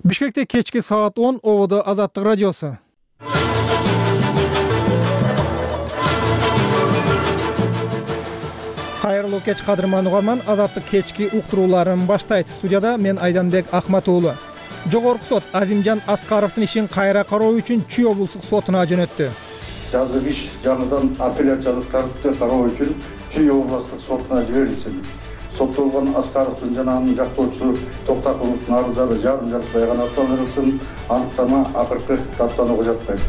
Бишкекте кечки саат 10 ободо Азаттык радиосу. Кайрылуу кеч кадырман угарман, Азаттык кечки уктурууларын баштайт. Студияда мен Айданбек Ахматуулу. Жогорку сот Азимжан Аскаровдун ишин кайра кароо үчүн Чүй облустук сотуна жөнөттү. Жаздык иш жаңыдан апелляциялык тартипте кароо үчүн Чүй облустук сотуна жиберилсин. Соттолгон Аскаровдун жана анын жактоочусу Токтаковдун арыздары жарым-жартылай гана аттандырылсын, аныктама акыркы даттанууга жатпайт.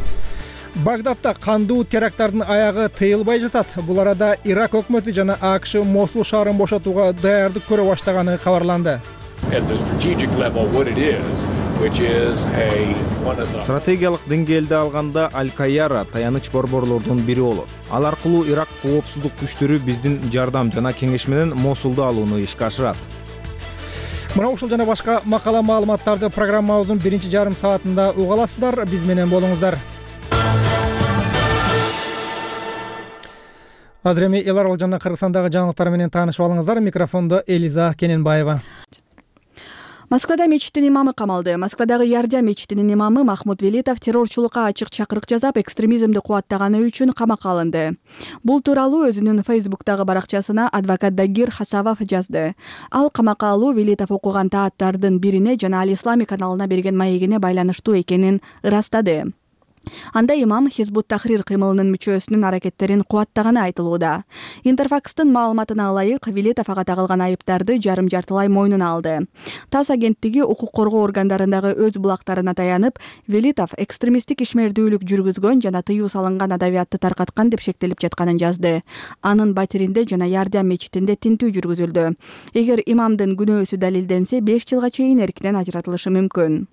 Багдадда кандуу теракттардын аягы тыйылбай жатат. Бул арада Ирак өкмөтү жана АКШ Мосул шаарын бошотууга даярдык көрө баштаганы кабарланды. Стратегиялык деңгээлде алганда Аль-Кайяра таяныч борборлордун бири болот. Ал аркылуу Ирак коопсуздук күчтөрү биздин жардам жана кеңеш менен Мосулду алууну ишке ашырат. Мына ушул жана башка макала маалыматтарды программабыздын биринчи жарым саатында уга аласыздар. Биз менен болуңуздар. Азыр эми эл аралык жана Кыргызстандагы жаңылыктар менен таанышып алыңыздар. Микрофондо Элиза Кененбаева. Москвада мечиттин имамы камалды. Москвадагы Ярдя мечитинин имамы Махмуд Велитов террорчулукка ачык чакырык жазап, экстремизмди кубаттаганы үчүн камакка алынды. Бул тууралуу өзүнүн Фейсбуктагы баракчасына адвокат Дагир Хасавов жазды. Ал камакка алуу Велитов окуган тааттардын бирине жана Ал Ислами каналына берген маегине байланыштуу экенин ырастады. Анда имам Хизбут Тахрир кыймылынын мүчөсүнүн аракеттерин кубаттаганы айтылууда. Интерфакстын маалыматына ылайык, Велитов ага тагылган айыптарды жарым-жартылай мойнуна алды. ТАСС агенттиги укук коргоо органдарындагы өз булактарына таянып, Велитов экстремисттик ишмердүүлүк жүргүзгөн жана тыюу салынган адабиятты таркаткан деп шектелип жатканын жазды. Анын батиринде жана Ярдя мечитинде тинтүү жүргүзүлдү. Эгер имамдын күнөөсү далилденсе, 5 жылга чейин эркинен ажыратылышы мүмкүн.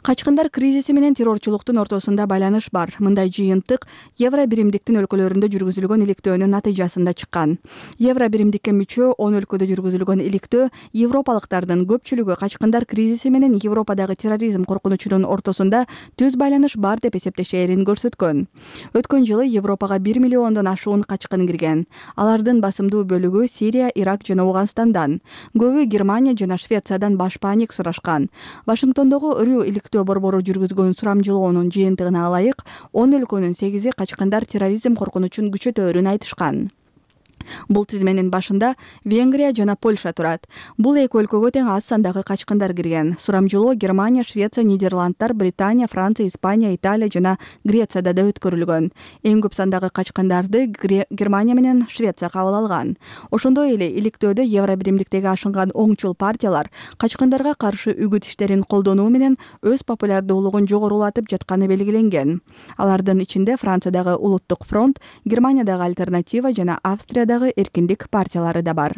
Качкындар кризиси менен террорчулуктун ортосунда байланыш бар. Мындай жыйынтык Евро биримдиктин өлкөлөрүндө жүргүзүлгөн иликтөөнүн натыйжасында чыккан. Евро биримдикке мүчө 10 өлкөдө жүргүзүлгөн иликтөө европалыктардын көпчүлүгү качкындар кризиси менен Европадагы терроризм коркунучунун ортосунда түз байланыш бар деп эсептешээрин көрсөткөн. Өткөн жылы Европага 1 миллиондон ашуун качкын кирген. Алардын басымдуу бөлүгү Сирия, Ирак жана Ауганстандан. Көбү Германия жана Швециядан баш паник сурашкан. Вашингтондогу Рю иликтөө борбору жүргүзгөн сурамжылоонун жыйынтыгына ылайык 10 өлкөнүн 8-и качкындар терроризм коркунучун күчөтөөрүн айтышкан. Бул тизменин башында Венгрия жана Польша турат. Бул эки өлкөгө тең аз сандагы качкындар кирген. Сурамжылоо Германия, Швеция, Нидерландтар, Британия, Франция, Испания, Италия жана Грецияда да өткөрүлгөн. Эң көп сандагы качкындарды Германия менен Швеция кабыл алган. Ошондой эле иликтөөдө Евро биримдиктеги ашынган оңчул партиялар качкындарга каршы үгүт иштерин колдонуу менен өз популярдуулугун жогорулатып жатканы белгиленген. Алардын ичинде Франциядагы Улуттук фронт, Германиядагы Альтернатива жана Австриядагы эркиндик партиялары да бар.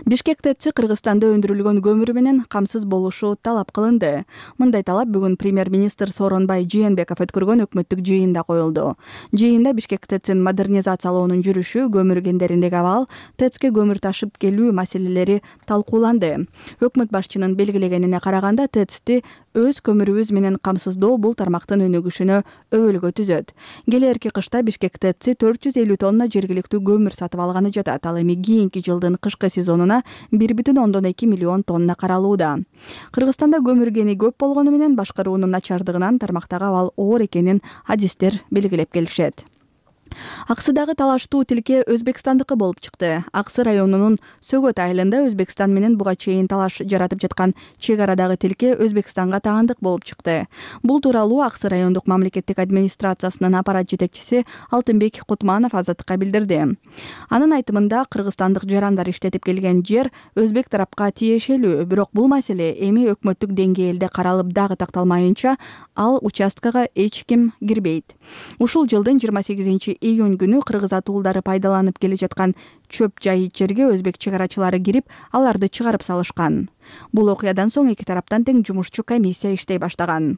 Бишкек ТЭЦ Кыргызстанда өндүрүлгөн көмүр менен камсыз болушу талап кылынды. Мындай талап бүгүн премьер-министр Сооронбай Жээнбеков өткөргөн өкмөттүк жыйында коюлду. Жыйында Бишкек ТЭЦин модернизациялоонун жүрүшү, көмүр кендериндеги абал, ТЭЦке көмүр ташып келүү маселелери талкууланды. Өкмөт башчынын белгилегенине караганда, ТЭЦти өз көмүрүбүз менен камсыздоо бул тармактын өнүгүшүнө өбөлгө түзөт. Келерки кышта Бишкек ТЭЦи 450 тонна жергиликтүү көмүр сатып алганы жатат. Ал эми кийинки жылдын кышкы сезонуна 1,2 миллион тонна каралууда. Кыргызстанда көмүр кени көп болгону менен башкаруунун начардыгынан тармактагы абал оор экенин адистер белгилеп келишет. Аксыдагы талаштуу тилке Өзбекстандыкы болуп чыкты. Аксы районунун Сөгөт айылында Өзбекстан менен буга чейин талаш жаратып жаткан чек арадагы тилке Өзбекстанга таандык болуп чыкты. Бул тууралуу Аксы райондук мамлекеттик администрациясынын аппарат жетекчиси Алтынбек Кутманов Азаттыкка билдирди. Анын айтымында кыргызстандык жарандар иштетип келген жер өзбек тарапка тиешелүү, бирок бул маселе эми өкмөттүк деңгээлде каралып дагы такталмайынча ал участкага эч ким кирбейт. Ушул жылдын 28 июнь күнү кыргыз атуулдары пайдаланып келе жаткан чөп жайыт жерге өзбек чыгарачылары кирип, аларды чыгарып салышкан. Бул окуядан соң эки тараптан тең жумушчу комиссия иштей баштаган.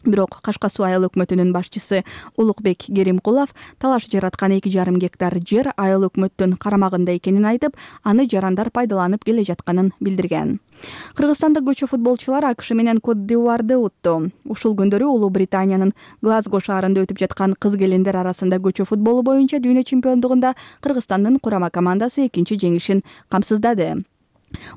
Бирок Кашка Суу айыл өкмөтүнүн башчысы Улукбек Керимкулов талаш жараткан 2,5 гектар жер айыл өкмөттүн карамагында экенин айтып, аны жарандар пайдаланып келе жатканын билдирген. Кыргызстандык көчө футболчулар АКШ менен Кот-д'Ивуарды утту. Ушул күндөрү Улуу Британиянын Глазго шаарында өтүп жаткан кыз келиндер арасында көчө футболу боюнча дүйнө чемпиондугунда Кыргызстандын курама командасы экинчи жеңишин камсыздады.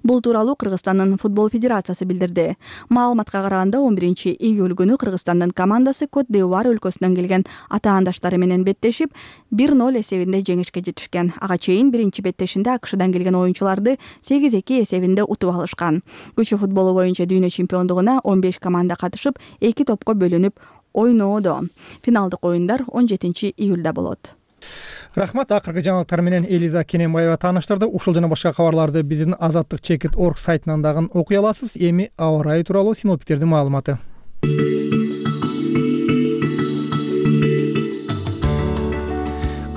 Бул тууралуу Кыргызстандын футбол федерациясы билдирди. Маалыматка караганда 11-июль күнү Кыргызстандын командасы Кот-д'Ивуар өлкөсүнөн келген атаандаштары менен беттешип 1-0 эсебинде жеңишке жетишкен. Ага чейин биринчи беттешинде АКШдан келген оюнчуларды 8-2 эсебинде утуп алышкан. Күчү футболу боюнча дүйнө чемпиондугуна 15 команда катышып, 2 топко бөлүнүп ойноодо. Финалдык оюндар 17-июлда болот. Рахмат. Акыркы жаңылыктар менен Элиза Кененбаева тааныштырды. Ушул жана башка кабарларды биздин azatlyk.org сайтынан дагы окуй аласыз. Эми аба ырайы тууралуу синоптиктердин маалыматы.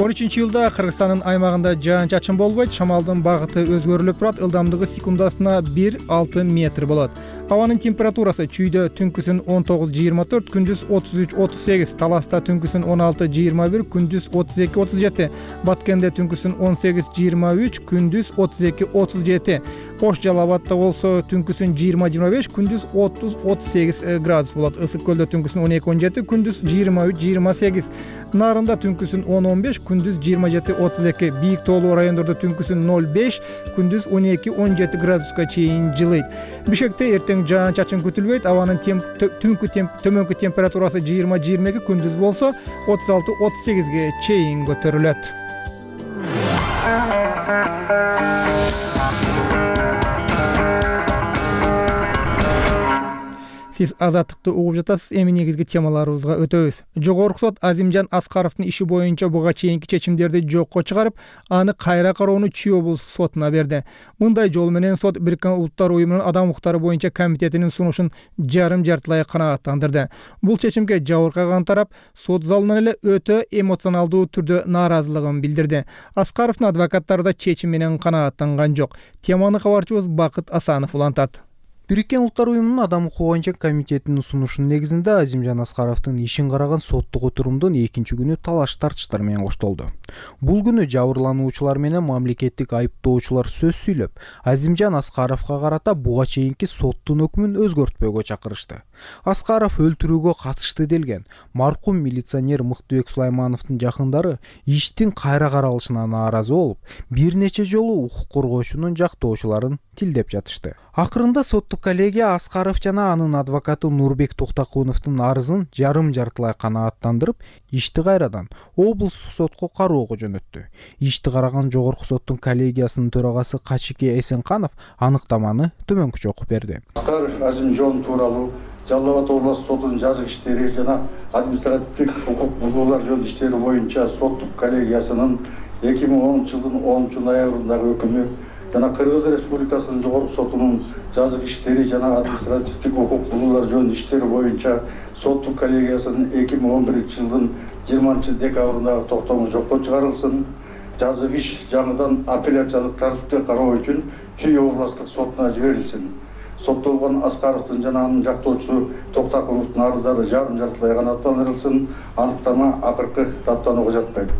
13-июлда Кыргызстандын аймагында жаан-чачын болбойт. Шамалдын багыты өзгөрүлүп турат. Ылдамдыгы секундасына 1-6 метр болот. Абанын температурасы чүйдө түнкүсүн 19-24, күндүз 33-38, Таласта түнкүсүн 16-21, күндүз 32-37, Баткенде түнкүсүн 18-23, күндүз 32-37, Ош Жалал Абадда болсо түнкүсүн 20-25, күндүз 30-38 градус болот. Ысык көлдө түнкүсүн 12-17, күндүз 23-28, Нарында түнкүсүн 10-15, күндүз 27-32, Бийик тоолуу райондордо түнкүсүн 0-5, күндүз 12-17 градуска чейин жылыйт. Бишкекте эртең жаан-чачын күтүлбөйт. Абанын төмөнкү температурасы 20-22, күндүз болсо 36-38ге чейин көтөрүлөт. Сиз азаттыкты угуп жатасыз. Эми негизги темаларыбызга өтөбүз. Жогорку сот Азимжан Аскаровдун иши боюнча буга чейинки чечимдерди жокко чыгарып, аны кайра кароону Чүй облустук сотуна берди. Мындай жол менен сот Бириккен Улуттар уюмунун адам укуктары боюнча комитетинин сунушун жарым-жартылай канааттандырды. Бул чечимге жабыркаган тарап сот залынан эле өтө эмоционалдуу түрдө нааразылыгын билдирди. Аскаровдун адвокаттары да чечим менен канааттанган жок. Теманы кабарчыбыз Бакыт Асанов улантат. Бириккен Улуттар уюмунун адам укугу боюнча комитетинин сунушунун негизинде Азимжан Аскаровдун ишин караган соттук отурумдун экинчи күнү талаш тартыштар менен коштолду. Бул күнү жабырлануучулар менен мамлекеттик айыптоочулар сөз сүйлөп, Азимжан Аскаровго карата буга чейинки соттун өкмүн өзгөртпөөгө чакырышты. Аскаров өлтүрүүгө катышты делген маркум милиционер Мыктыбек Сулаймановдун жакындары иштин кайра каралышына нааразы болуп, бир нече жолу укук коргоочунун жактоочуларын тилдеп жатышты. Акырында соттук коллегия Аскаров жана анын адвокаты Нурбек Токтакуновдун арызын жарым-жартылай канааттандырып, ишти кайрадан облустук сотко кароого жөнөттү. Ишти караган жогорку соттун коллегиясынын төрагасы Качике Эсенканов аныктаманы төмөнкүчө окуп берди. Аскаров Азимжан тууралуу Жалал Абад областык сотунун жазык иштери жана административдик укук бузуулар жөнүндө иштери боюнча соттук коллегиясынын 2010-жылдын 10-ноябрындагы өкүмү жана Кыргыз Республикасынын жогорку сотунун жазык иштери жана административдик укук бузуулар жөнүндө иштери боюнча соттук коллегиясынын 2011-жылдын 20-декабрындагы токтому жокко чыгарылсын. Жазык иш жаңыдан апелляциялык тартипте кароо үчүн Чүй областык сотуна жиберилсин. Соттолгон Аскаровдун жана анын жактоочусу Токтакуновдун арыздары жарым-жартылай канааттандырылсын. Аныктама акыркы даттанууга жатпайт.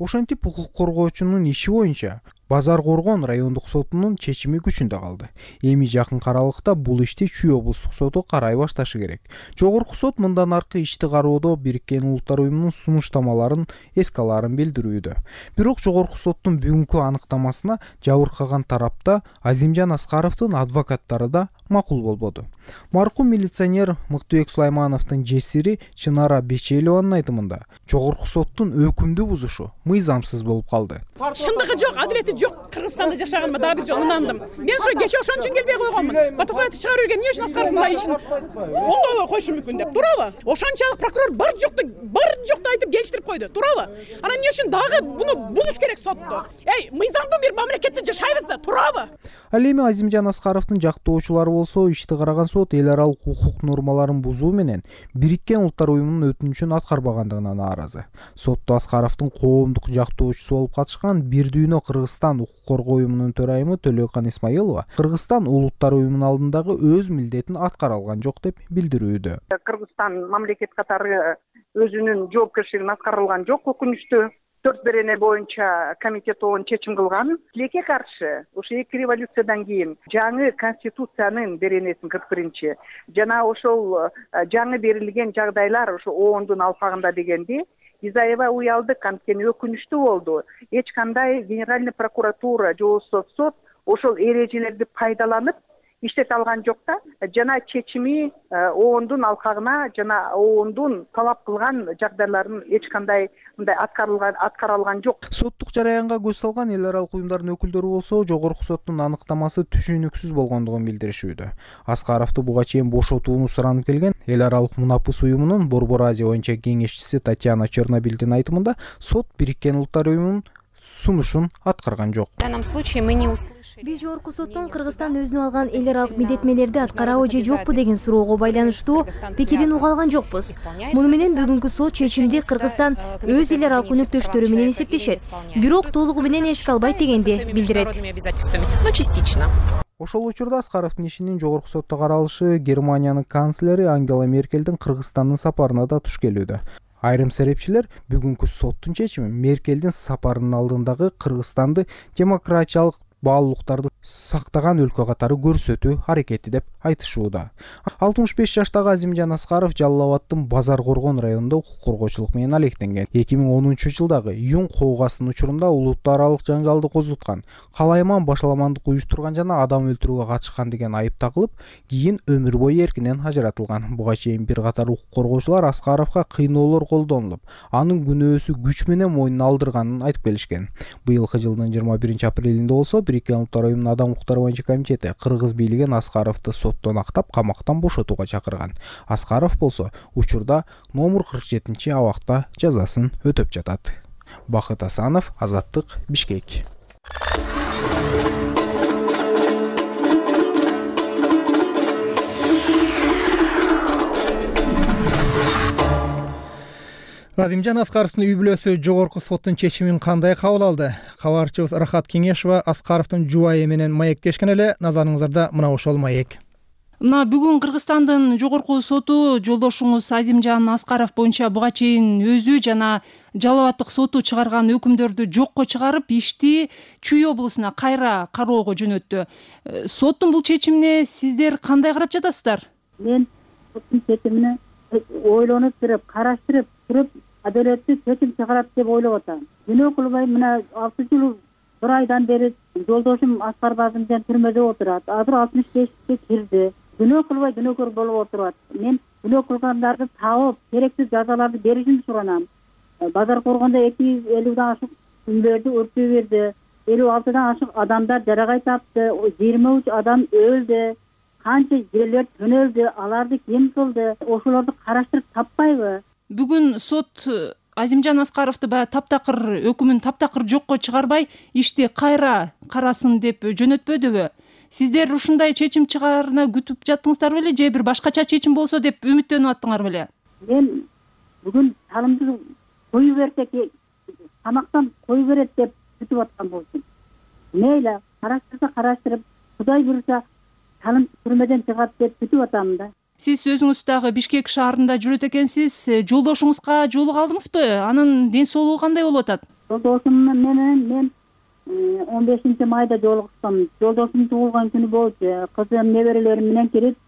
Ошентип укук коргоочунун иши боюнча Базар Коргон райондук сотунун чечими күчүндө калды. Эми жакын аралыкта бул ишти Чүй облустук соту карай башташы керек. Жогорку сот мындан аркы ишти кароодо Бириккен Улуттар уюмунун сунуштамаларын эске аларын билдирүүдө. Бирок жогорку соттун бүгүнкү аныктамасына жабыркаган тарапта Азимжан Аскаровдун адвокаттары да макул болбоду. Маркум милиционер Мыктыбек Сулаймановдун жесири Чынара Бечелованын айтымында жогорку соттун өкүмдү бузушу мыйзамсыз болуп калды. Чындыгы жок, адилети жок. Кыргызстанда жашаганыма дагы бир жолу ынандым. Мен ошо кече ошон үчүн келбей койгонмун. Батукаевди чыгарып берген эмне үчүн Аскаровдун ишин оңдой коюшу мүмкүн деп, туурабы? Ошончалык прокурор бар жокто айтып келиштирип койду, туурабы? Анан эмне үчүн дагы буну бузуш керек сотту? Мыйзамдуу бир мамлекетте жашайбыз да, туурабы? Ал эми Азимжан Аскаровдун жактоочулары болсо ишти караган сот эл аралык укук нормаларын бузуу менен Бириккен Улуттар уюмунун өтүнүчүн аткарбагандыгына нааразы. Сотто Аскаровдун коомдук жактоочусу болуп катышкан Бир дүйнө Кыргызстан укук коргоо уюмунун төрайымы Төлөкан Исмаилова Кыргызстан улуттар уюмунун алдындагы өз милдетин аткара алган жок деп билдирүүдө. Кыргызстан мамлекет катары өзүнүн жоопкерчилигин аткара алган жок, өкүнүчтүү. 4 берене боюнча комитет оң чечим кылган. Тилекке каршы ошо эки революциядан кийин жаңы конституциянын беренесин 41-чи жана ошол жаңы берилген жагдайлар ошо оондун алпагында дегенди Изаева уялдык, анткени өкүнүчтүү болду. Эч кандай генеральный прокуратура же сот ошол эрежелерди пайдаланып иштете алган жок да. Жана чечими оондун алкагына жана оондун талап кылган жагдайларын эч кандай мындай аткара алган жок. Соттук жараянга көз салган эл аралык уюмдардын өкүлдөрү болсо жогорку соттун аныктамасы түшүнүксүз болгондугун билдиришүүдө. Аскаровду буга чейин бошотууну суранып келген эл аралык Мунапыс уюмунун Борбор Азия боюнча кеңешчиси Татьяна Чернобилдин айтымында сот Бириккен Улуттар уюмунун сунушун аткарган жок. В данном случае мы не услышали. Биз жогорку соттон Кыргызстан өзүнө алган эл аралык милдетмелерди аткарабы же жокпу деген суроого байланыштуу пикирин уга алган жокпуз. Муну менен бүгүнкү сот чечимди Кыргызстан өз эл аралык өнөктөштөрү менен эсептешет. Бирок толугу менен эске албайт дегенди билдирет. Но частично. Ошол учурда Аскаровдун ишинин жогорку сотто каралышы Германиянын канцлери Ангела Меркелдин Кыргызстандын сапарына да туш келүүдө. Айрым серепчилер бүгүнкү соттун чечими Меркелдин сапарынын алдындагы Кыргызстанды демократиялык баалуулуктарды сактаган өлкө катары көрсөтүү аракети деп айтышууда. 65 жаштагы Азимжан Аскаров Жалал Абаддын Базар Коргон районунда укук коргоочулук менен алектенген. 2010-жылдагы июнь коогасын учурунда улуттар аралык жаңжалды козуткан, калайман башаламандык уюштурган жана адам өлтүрүүгө катышкан деген айып тагылып, кийин өмүр бою эркинен ажыратылган. Буга чейин бир катар укук коргоочулар Аскаровго кыйноолор колдонулуп, анын күнөөсү күч менен мойнуна алдырганын айтып келишкен. Быйылкы жылдын 21 апрелинде болсо Бириккен Улуттар уюмунун адам укуктары боюнча комитети кыргыз бийлигин Аскаровду соттон актап камактан бошотууга чакырган. Аскаров болсо учурда номер 47 абакта жазасын өтөп жатат. Бакыт Асанов, Азаттык, Бишкек. Азимжан Аскаровдун үй бүлөсү жогорку соттун чечимин кандай кабыл алды? Кабарчыбыз Рахат Кеңешова Аскаровдун жубайы менен маектешкен эле. Назарыңыздарда мына ошол маек. Мына бүгүн Кыргызстандын жогорку соту жолдошуңуз Азимжан Аскаров боюнча буга чейин өзү жана Жалал Абаддык соту чыгарган өкүмдөрдү жокко чыгарып, ишти Чүй облусуна кайра кароого жөнөттү. Соттун бул чечимине сиздер кандай карап жатасыздар? Мен соттун чечимине ойлонуп туруп, караштырып туруп, адалеттүү чечим чыгарат деп ойлоп атам. Күнөө кылбай мына 6 жыл 1 айдан бери жолдошум Аскаров Азимжан түрмөдө отурат. Азыр 65-ке кирди. Күнөө кылбай күнөөкөр болуп отурат. Мен күнөө кылгандарды таап, керектүү жазаларды беришин суранам. Базар Коргондо 250дан ашык күндөрдү өртөө берди. 56дан ашык адамдар жаракай тапты. 23 адам өлдү. Канча жерлер төнөлдү, аларды ким кылды? Ошолорду караштырып таппайбы? Бүгүн сот Азимжан Аскаровду таптакыр өкүмүн таптакыр жокко чыгарбай, ишти кайра карасын деп жөнөтпөдүбү? Сиздер ушундай чечим чыгарына күтүп жаттыңыздар беле же бир башкача чечим болсо деп үмүттөнүп аттыңар беле? Мен бүгүн салымды коюп берсе, камактан коюп берет деп күтүп аткан болчумун. Мейли, караштырып, Кудай буйруса салым түрмөдөн чыгат деп күтүп атам да. Сиз өзүңүз дагы Бишкек шаарында жүрөт экенсиз. Жолдошуңузга жолуга алдыңызбы? Анын ден соолугу кандай болуп атат? Жолдошум менен мен 15 майда жолугуштум. Жолдошум туулган күнү болчу. Кызым неберелерим менен кирип,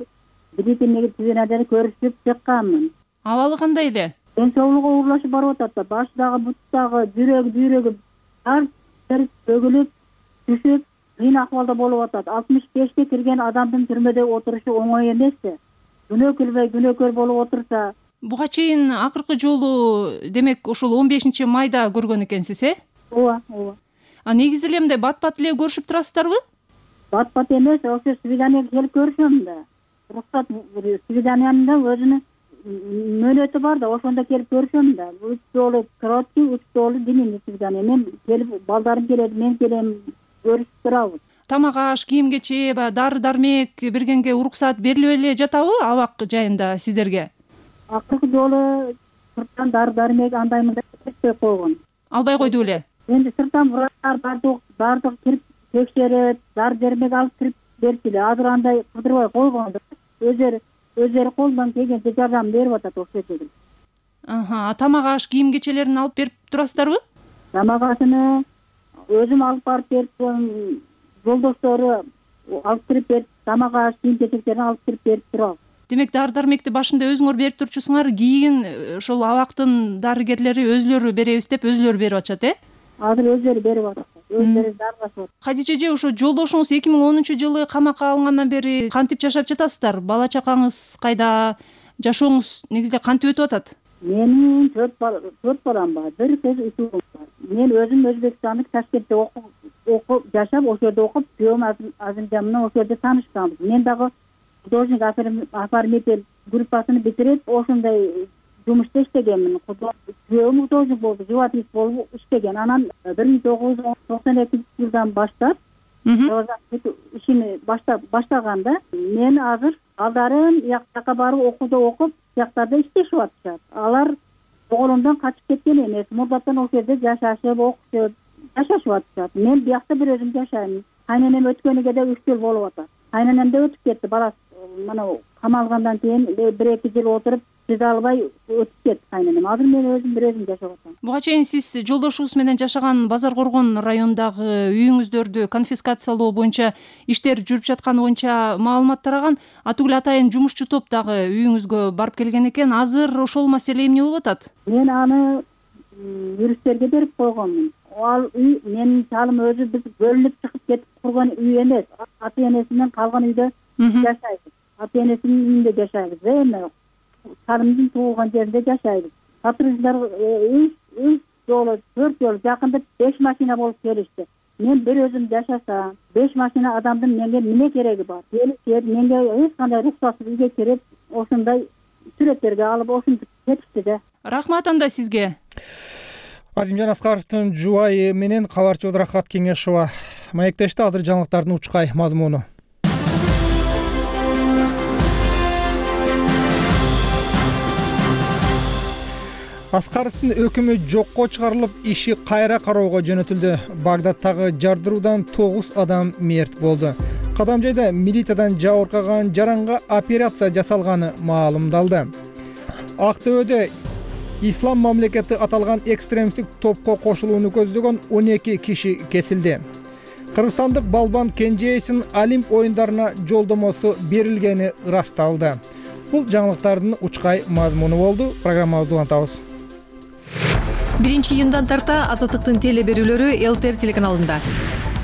Британияга тизенада көрүшүп чыкканмын. Абалы кандай эле? Ден соолугу оорлашып барып атат. Башы дагы, бут дагы, бүйрөгү ар бөгүлүп, түшүп, кыйын акыбалда болуп атат. 65ке кирген адамдын түрмөдө отурушу оңой эмес. Күнөө кылбай күнөөкөр болуп отурса. Буга чейин акыркы жолу демек ошол 15 майда көргөн экенсиз, Ооба. Негизи эле мындай бат-бат эле көрүшүп турасыздарбы? Бат-бат эмес, ошо свиданияга келип көрүшөм да. Рухсат свиданиянын да өзүнүн мөөнөтү бар да, ошондо келип көрүшөм да. 3 жолу короткий, 3 жолу длинный свидания. Мен келип, балдарым келет, мен келем, көрүшүп турабыз. Тамак аш, кийим-кечек, дары-дармек бергенге уруксат берилип эле жатабы абак жайында сиздерге? Акыркы жолу сырттан дары-дармек андай-мындай берип койгон. Албай койду эле. Эndi сырттан врачтар бардык кирип текшерет, дары-дармек алып кирип берчү эле. Азыр андай кыдырбай койгон. Өздөрү колунан келгенче жардам берип атат ошол жерде. Тамак аш, кийим-кечелерин алып берип турасыздарбы? Тамак ашыны өзүм алып барып берип, жолдоштору алып кирип берип, тамак аш, кийим-кечектерин алып кирип берип турабыз. Демек дары-дармекти башында өзүңөр берип турчусуңар, кийин ошол абактын дарыгерлери өзүлөрү беребиз деп өзүлөрү берип атышат, Азыр өздөрү берип атат. өздөрү аралашып. Кадижа эже, ошо жолдошуңуз 2010-жылы камакка алынгандан бери кантип жашап жатасыздар? Бала чакаңыз кайда? Жашооңуз негизде кантип өтүп атат? Менин 4 балам бар, 1 кыз 2 угул бар. Мен өзүм Өзбекстандык Ташкентте окуп жашап, ошол жерде окуп, күйөөм Азимжан менен ошол жерде таанышканбыз. Мен дагы художник оформитель группасын битирип, ошондой жумушта иштегенмин. Күйөөм художник болду, живописец болуп иштеген. Анан 1992-жылдан баштап ишини баштаганда мен азыр балдарым жакка барып окууда окуп, жактарда иштешип атышат. Алар оголумдан качып кеткен эмес, мурдаттан ошол жерде жашашып, окушуп, жашашып атышат. Мен биякта бир өзүм жашайм. Кайненем өткөнүгө да 3 жыл болуп атат. Кайненем да өтүп кетти, баласы мына камалгандан кийин 1-2 жыл отуруп чыда албай өтүп кетти кайненем. Азыр мен өзүм бир өзүм жашап атам. Буга чейин сиз жолдошуңуз менен жашаган Базар Коргон районундагы үйүңүздөрдү конфискациялоо боюнча иштер жүрүп жатканы боюнча маалымат тараган. Атүгүл атайын жумушчу топ дагы үйүңүзгө барып келген экен. Азыр ошол маселе эмне болуп атат? Мен аны юристтерге берип койгонмун. Ал үй менин чалым өзү биз бөлүнүп чыгып кетип курган үй эмес. Ата энесинен калган үйдө жашайбыз. Ата энесинин үйүндө жашайбыз. Эми чалымдын туулган жеринде жашайбыз. Сотрудниктер 3 жолу 4 жолу жакында 5 машина болуп келишти. Мен бир өзүм жашасам, 5 машина адамдын менге эмне кереги бар? Келип менге эч кандай руксатсыз үйгө кирип, ошондой сүрөттөргө алып ошентип кетишти да. Рахмат анда сизге. Азимжан Аскаровдун жубайы менен кабарчыбыз Рахат Кеңешова маектешти. Азыр жаңылыктардын учкай мазмуну. Аскаровдун өкүмү жокко чыгарылып, иши кайра кароого жөнөтүлдү. Багдадтагы жардыруудан 9 адам мерт болду. Кадамжайда милициядан жабыркаган жаранга операция жасалганы маалымдалды. Актөбөдө Ислам мамлекети аталган экстремисттик топко кошулууну көздөгөн 12 киши кесилди. Кыргызстандык балбан Кенжеевдин Олимп оюндарына жолдомосу берилгени ырасталды. Бул жаңылыктардын учкай мазмуну болду. Программабызды улантабыз. 1-июндан тарта Азаттыктын теле берүүлөрү ЛТР телеканалында.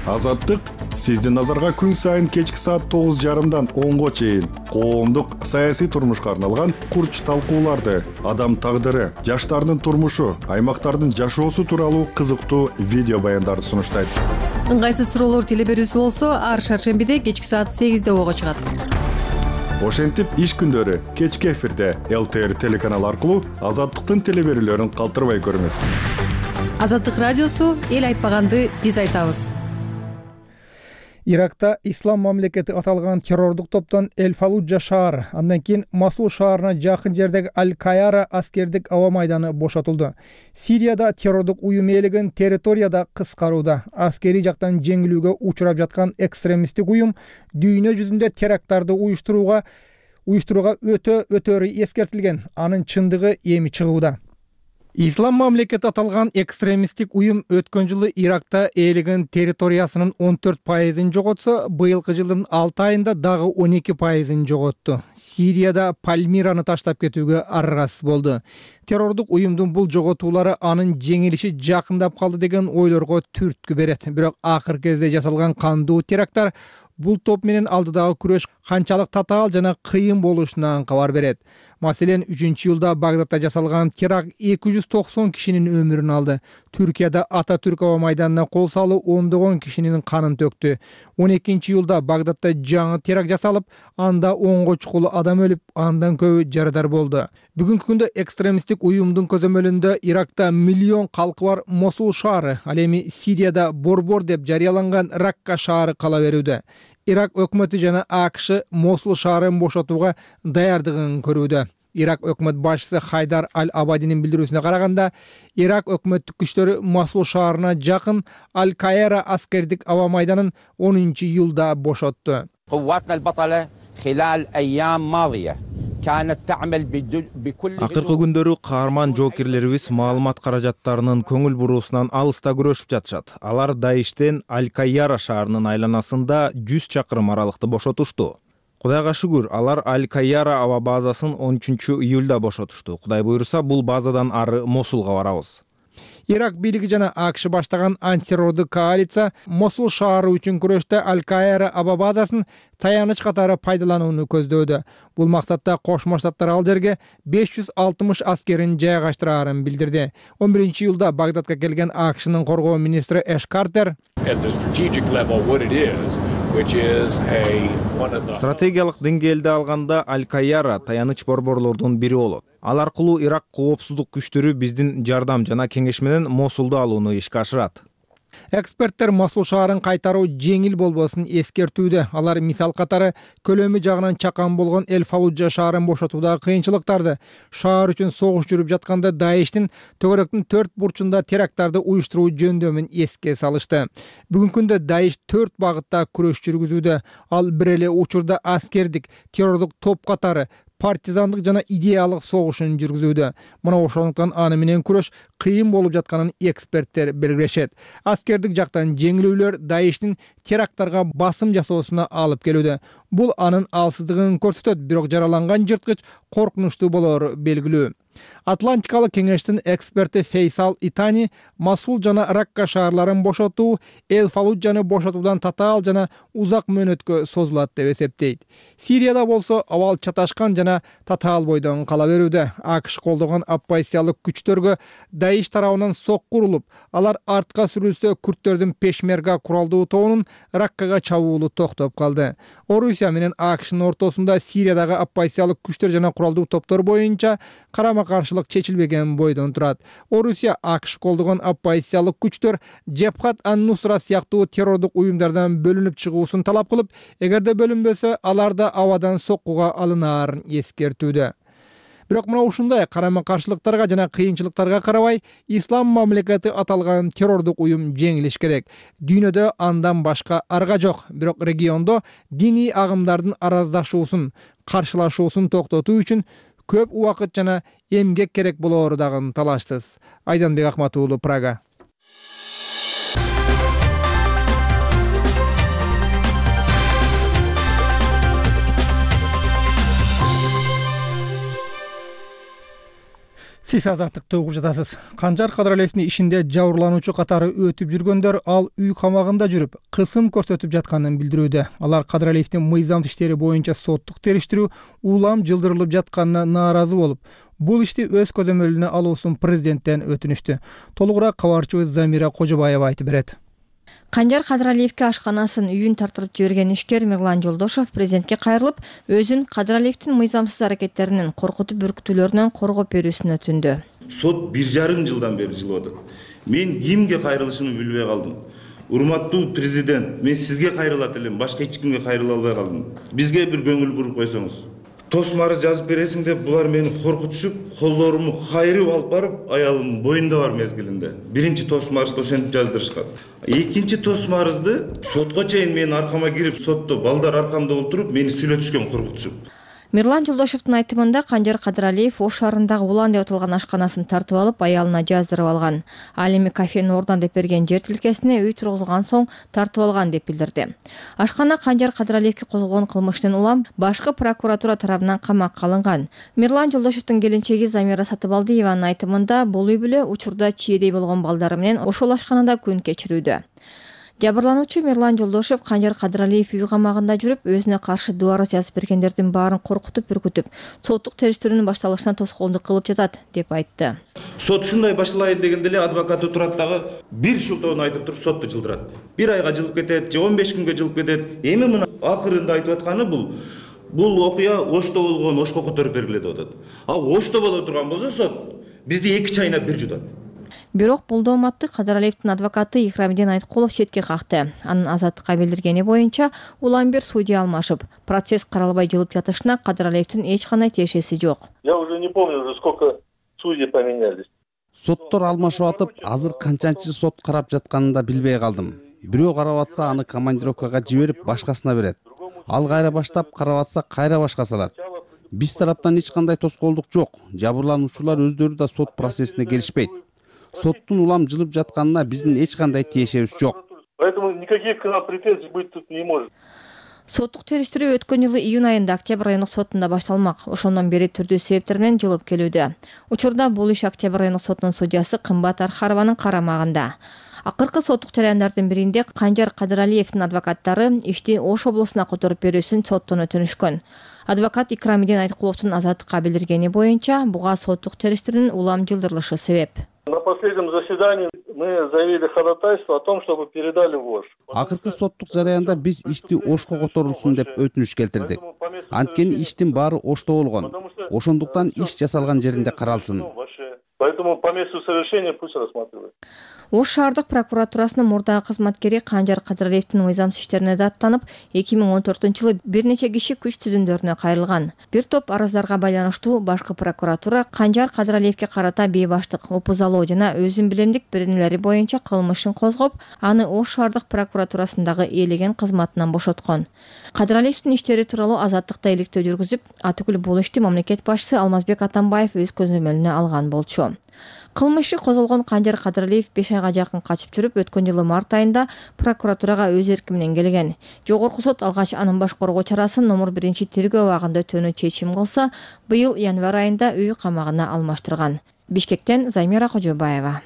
Азаттык сиздин назарга күн сайын кечки саат 9:30-дан 10-го чейин коомдук саясий турмушка арналган курч талкууларды, адам тагдыры, жаштардын турмушу, аймактардын жашоосу тууралуу кызыктуу видео баяндарды сунуштайт. Ыңгайсыз суроолор теле берүүсү болсо, ар шаршембиде кечки саат 8-де ого чыгат. Ошентип иш күндөрү кечки эфирде ЛТР телеканалы аркылуу Азаттыктын теле берүүлөрүн калтырбай көрүңүз. Азаттык радиосу эл айтпаганды биз айтабыз. Иракта Ислам мамлекети аталган террордук топтон Эль-Фаллуджа шаары, андан кийин Масул шаарына жакын жердеги Аль-Кайяра аскердик аба майданы бошотулду. Сирияда террордук уюм ээлеген территорияда кыскарууда. Аскерий жактан жеңилүүгө учурап жаткан экстремисттик уюм дүйнө жүзүндө теракттарды уюштурууга өтөрү эскертилген. Анын чындыгы эми чыгууда. Ислам мамлекети аталган экстремисттик уюм өткөн жылы Иракта ээлеген территориясынын 14%-ын жоготсо, быйылкы жылдын 6 айында дагы 12%-ын жоготту. Сирияда Пальмираны таштап кетүүгө аргасыз болду. Террордук уюмдун бул жоготуулары анын жеңилиши жакындап калды деген ойлорго түрткү берет. Бирок акыркы кезде жасалган кандуу теракттар бул топ менен алдыдагы күрөш канчалык татаал жана кыйын болушунан кабар берет. Маселен, 3-июлда Багдадта жасалган теракт 290 кишинин өмүрүн алды. Түркияда Ататүрк аба майданына кол салуу ондогон кишинин канын төктү. 12-июлда Багдадта жаңы теракт жасалып, анда 10го чукул адам өлүп, андан көбү жарадар болду. Бүгүнкү күндө экстремисттик уюмдун көзөмөлүндө Иракта миллион калкы бар Мосул шаары, ал эми Сирияда Борбор деп жарыяланган Ракка шаары кала берүүдө. Ирак өкмөтү жана АКШ Мосул шаарын бошотууга даярдыгын көрүүдө. Ирак өкмөт башчысы Хайдар Аль-Абадинин билдирүүсүнө караганда, Ирак өкмөттүк күчтөрү Мосул шаарына жакын Аль-Кайяра аскердик аба майданын 10-июлда бошотту. Акыркы күндөрү каарман жоокерлерибиз маалымат каражаттарынын көңүл буруусунан алыста күрөшүп жатышат. Алар Даиштен Аль-Кайяра шаарынын айланасында 100 чакырым аралыкты бошотушту. Кудайга шүгүр, алар Аль-Кайяра аба базасын 13-июлда бошотушту. Кудай буйруса, бул базадан ары Мосулга барабыз. Ирак бийлиги жана АКШ баштаган антитеррордук коалиция Мосул шаары үчүн күрөштө Аль-Каира аба базасын таяныч катары пайдаланууну көздөөдө. Бул максатта Кошмо Штаттар ал жерге 560 аскерин жайгаштырарын билдирди. 11-июлда Багдадка келген АКШнын коргоо министри Эш Картер стратегиялык деңгээлде алганда Аль-Каира таяныч борборлордун бири болот. Ал аркылуу Ирак коопсуздук күчтөрү биздин жардам жана кеңеш менен Мосулду алууну ишке ашырат. Эксперттер Мосул шаарын кайтаруу жеңил болбосун эскертүүдө. Алар мисал катары көлөмү жагынан чакан болгон Эль-Фаллуджа шаарын бошотуудагы кыйынчылыктарды, шаар үчүн согуш жүрүп жатканда Даиштин төгөрөктүн 4 бурчунда теракттарды уюштуруу жөндөмүн эске салышты. Бүгүнкү күндө Даиш 4 багытта күрөш жүргүзүүдө. Ал бир эле учурда аскердик, террордук топ катары партизандык жана идеялык согушун жүргүзүүдө. Мына ошондуктан аны менен күрөш кыйын болуп жатканын эксперттер белгилешет. Аскердик жактан жеңилүүлөр Даиштин теракттарга басым жасоосуна алып келүүдө. Бул анын алсыздыгын көрсөтөт, бирок жараланган жырткыч коркунучтуу болору белгилүү. Атлантикалык кеңештин эксперти Фейсал Итани Мосул жана Ракка шаарларын бошотуу Эль-Фаллуджаны бошотуудан татаал жана узак мөөнөткө созулат деп эсептейт. Сирияда болсо абал чаташкан жана татаал бойдон кала берүүдө. АКШ колдогон оппозициялык күчтөргө Даиш тарабынан сокку урулуп, алар артка сүрүлсө күрттөрдүн Пешмерга куралдуу тобунун Раккага чабуулу токтоп калды. Орусия менен АКШнын ортосунда Сириядагы оппозициялык күчтөр жана куралдуу топтор боюнча карама-каршылык чечилбеген бойдон турат. Орусия АКШ колдогон оппозициялык күчтөр Джебхат ан-Нусра сыяктуу террордук уюмдардан бөлүнүп чыгуусун талап кылып, эгерде бөлүнбөсө, алар да абадан соккуга алынаарын эскертүүдө. Бирок мына ушундай карама-каршылыктарга жана кыйынчылыктарга карабай, ислам мамлекети аталган террордук уюм жеңилиш керек. Дүйнөдө андан башка арга жок. Бирок региондо диний агымдардын араздашуусун, каршылашуусун токтотуу үчүн көп убакыт жана эмгек керек болоору дагы талаштыс. Айданбек Акматуулу, Прага. Сиз азаттыкты угуп жатасыз. Канжар Кадралиевдин ишинде жабырлануучу катары өтүп жүргөндөр ал үй камагында жүрүп, кысым көрсөтүп жатканын билдирүүдө. Алар Кадралиевдин мыйзам иштери боюнча соттук териштирүү улам жылдырылып жатканына нааразы болуп, бул ишти өз көзөмөлүнө алуусун президенттен өтүнүштү. Толугураак кабарчыбыз Замира Кожобаева айтып берет. Канжар Кадралиевке ашканасын, үйүн тартырып жиберген ишкер Мирлан Жолдошов президентке кайрылып, өзүн Кадралиевдин мыйзамсыз аракеттеринен, коркутуп үркүтүүлөрүнөн коргоп берүүсүн өтүндү. Сот 1,5 жылдан бери жылып атат. Мен кимге кайрылышымды билбей калдым. Урматтуу президент, мен сизге кайрылат элем, башка эч кимге кайрыла албай калдым. Бизге бир көңүл буруп койсоңуз. Тосмарыз жазып бересиң деп булар мени коркутушуп, колдорумду кайрып алып барып, аялым боюнда бар мезгилинде. Биринчи тосмарызды ошентип жаздырышкан. Экинчи тосмарызды сотко чейин менин аркама кирип, сотто балдар аркамда отуруп, мени сүйлөтүшкөн, коркутушуп. Мирлан Жолдошовдун айтымында Канжар Кадралиев Ош шаарындагы Улан деп аталган ашканасын тартып алып, аялына жаздырып алган. Ал эми кафени ордон деп берген жер тилкесине үй тургузулган соң тартып алган деп билдирди. Ашкана Канжар Кадралиевке козголгон кылмыштын улам башкы прокуратура тарабынан камакка алынган. Мирлан Жолдошовдун келинчеги Замира Сатыбалдиеванын айтымында бул үй бүлө учурда чиедей болгон балдары менен ошол ашканада күн кечирүүдө. Жабырлануучу Мирлан Жолдошов Канжар Кадралиев үй камагында жүрүп, өзүнө каршы дуб арыз жазып бергендердин баарын коркутуп, үркүтүп, соттук териштирүүнүн башталышына тоскоолдук кылып жатат деп айтты. Сот ушундай башталайын дегенде эле адвокаты турат дагы бир шылтоону айтып туруп сотту жылдырат. Бир айга жылып кетет, же 15 күнгө жылып кетет. Эми мына акырында айтып атканы бул окуя Ошто болгон, Ошко көтөрүп бергиле деп атат. А Ошто боло турган болсо сот бизди 2 чайнап бир жутат. Бирок бул дооматты Кадралиевдин адвокаты Икрамиден Айткулов четке какты. Анын азаттыкка билдиргени боюнча улам бир судья алмашып, процесс каралбай жылып жатышына Кадралиевдин эч кандай тиешеси жок. Я уже не помню, уже сколько судей поменялись. Соттор алмашып атып, азыр канчанчы сот карап жатканын да билбей калдым. Бирөө карап атса, аны командировкага жиберип, башкасына берет. Ал кайра баштап, карап атса, кайра башка салат. Биз тараптан эч кандай тоскоолдук жок. Жабырлануучулар өздөрү да сот процессине келишпейт. Соттун улам жылып жатканына биздин эч кандай тиешебиз жок. Поэтому никаких к нам претензий быть тут не может. соттук териштирүү өткөн жылы июнь айында Октябрь райондук сотунда башталмак. Ошондон бери түрдүү себептер менен жылып келүүдө. Учурда бул иш Октябрь райондук сотунун судьясы Кымбат Архарованын карамагында. Акыркы соттук жараяндардын биринде Канжар Кадыралиевдин адвокаттары ишти Ош облусуна которуп берүүсүн соттон өтүнүшкөн. Адвокат Икрамидин Айткуловдун азаттыкка билдиргени боюнча буга соттук териштирүүнүн улам жылдырылышы себеп. На последнем заседании мы заявили ходатайство о том, чтобы передали в Ош. Акыркы соттук жараянда биз ишти Ошко которулсун деп өтүнүш келтирдик. Анткени иштин баары Ошто болгон. Ошондуктан иш жасалган жеринде каралсын. Поэтому по месту совершения пусть рассматривают. Ош шаардык прокуратурасынын мурдагы кызматкери Канжар Кадыралиевдин мыйзамсыз иштерине даттанып, 2014-жылы бир нече киши күч түзүмдөрүнө кайрылган. Бир топ араздарга байланыштуу башкы прокуратура Канжар Кадыралиевге карата бейбаштык, опузалоо жана өзүн билемдик беренелери боюнча кылмышын козгоп, аны Ош шаардык прокуратурасындагы ээлеген кызматынан бошоткон. Кадыралиевдин иштери тууралуу азаттыкта иликтөө жүргүзүп, атүгүл бул ишти мамлекет башчысы Алмазбек Атамбаев өз көзөмөлүнө алган болчу. Кылмышы козголгон Канжар Кадыралиев 5 айга жакын качып жүрүп, өткөн жылы март айында прокуратурага өз эрки менен келген. Жогорку сот алгач анын баш коргоо чарасын номер 1-тергөө абагында өтүүнү чечим кылса, быйыл январь айында үй камагына алмаштырган. Бишкектен Займира Кожобаева.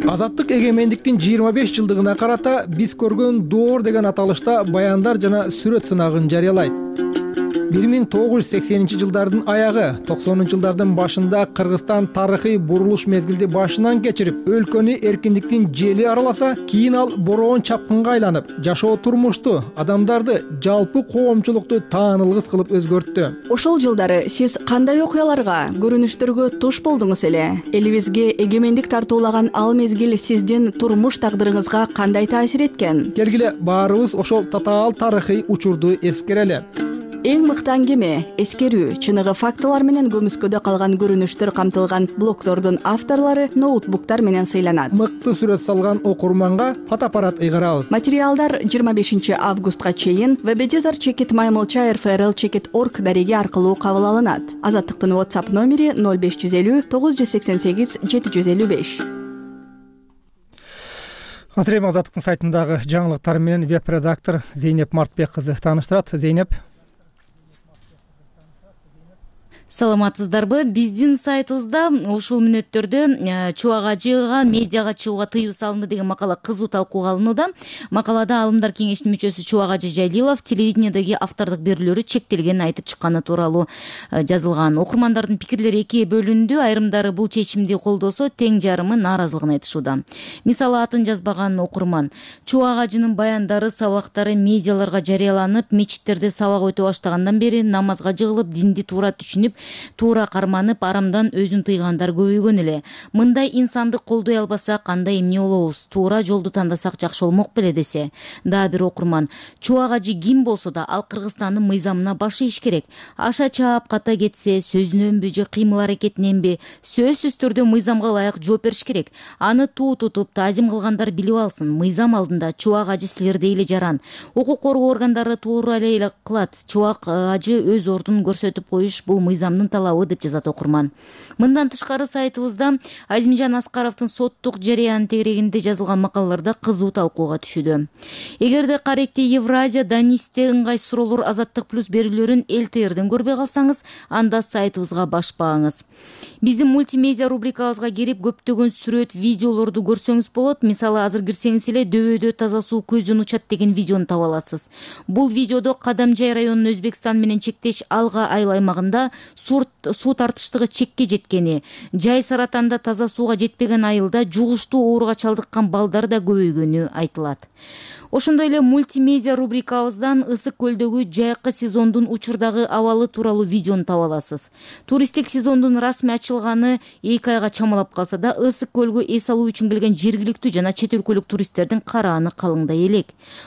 Азаттык эгемендиктин 25 жылдыгына карата биз көргөн доор деген аталышта баяндар жана сүрөт сынагын жарыялайт. 1980-жылдардын аягы, 90-жылдардын башында Кыргызстан тарыхый бурулуш мезгилди башынан кечирип, өлкөнү эркиндиктин жели араласа, кийин ал бороон чапкынга айланып, жашоо турмушту, адамдарды, жалпы коомчулукту таанылгыс кылып өзгөрттү. Ошол жылдары сиз кандай окуяларга, көрүнүштөргө туш болдуңуз эле? Элибизге эгемендик тартуулаган ал мезгил сиздин турмуш тагдырыңызга кандай таасир эткен? Келгиле баарыбыз ошол татаал тарыхый учурду эскерели. Эң мыкты аңгеме, эскерүү, чыныгы фактылар менен көмүскөдө калган көрүнүштөр камтылган блогдордун авторлору ноутбуктар менен сыйланат. Мыкты сүрөт салган окурманга фотоаппарат ыйгарабыз. Материалдар 25 августка чейин webeditor@maymolchair.frl.org дареги аркылуу кабыл алынат. Азаттыктын WhatsApp номери 0550 988 755. Азыр эми Азаттыктын сайтындагы жаңылыктар менен веб-редактор Зейнеп Мартбек кызы тааныштырат. Зейнеп. Саламатсыздарбы? Биздин сайтыбызда ушул мүнөттөрдө Чубак ажыга медиага чыгууга тыюу салынды деген макала кызуу талкууга алынууда. Макалада Алымдар кеңешинин мүчөсү Чубак ажы Жайлилов телевидениедеги автордук берүүлөрү чектелгенин айтып чыкканы тууралуу жазылган. Окурмандардын пикирлери экиге бөлүндү. Айрымдары бул чечимди колдосо, тең жарымы нааразылыгын айтышууда. Мисалы атын жазбаган окурман: Чубак ажынын баяндары, сабактары медиаларга жарыяланып, мечиттерде сабак өтө баштагандан бери намазга жыгылып, динди туура түшүнүп, туура карманып, арамдан өзүн тыйгандар көбөйгөн эле. Мындай инсанды колдой албасак кандай эмне болобуз? Туура жолду тандасак жакшы болмок беле десе. Дагы бир окурман: Чубак ажы ким болсо да ал Кыргызстандын мыйзамына баш ийиш керек. Аша чаап ката кетсе, сөзүнөнбү же кыймыл аракетиненби, сөзсүз түрдө мыйзамга ылайык жооп бериш керек. Аны туу тутуп, таазим кылгандар билип алсын. Мыйзам алдында Чубак ажы силердей эле жаран. Укук коргоо органдары туура эле кылат. Чубак ажы өз ордун көрсөтүп коюш бул мыйзамдын талабы, деп жазат окурман. Мындан тышкары сайтыбызда Азимжан Аскаровдун соттук жарыяны тегерегинде жазылган макалаларда кызуу талкууга түшүүдө. Эгерде каректи Евразия, Данисте ыңгай суроолор, Азаттык плюс берүүлөрүн ЛТРден көрбөй калсаңыз, анда сайтыбызга башпаңыз. Биздин мультимедиа рубрикабызга кирип көптөгөн сүрөт, видеолорду көрсөңүз болот. Мисалы, азыр кирсеңиз эле дөбөдө таза суу көздөн учат деген видеону таба аласыз. Бул видеодо Кадамжай районунун Өзбекстан менен чектеш Алга айыл аймагында суу тартыштыгы чекке жеткени, жай саратанда таза сууга жетпеген айылда жугуштуу ооруга чалдыккан балдар да көбөйгөнү айтылат. Ошондой эле мультимедиа рубрикабыздан Ысык көлдөгү жайкы сезондун учурдагы абалы тууралуу видеону таба аласыз. Туристтик сезондун расмий ачылганы 2 айга чамалап калса да, Ысык көлгө эс алуу үчүн келген жергиликтүү жана чет өлкөлүк туристтердин карааны калыңдай элек.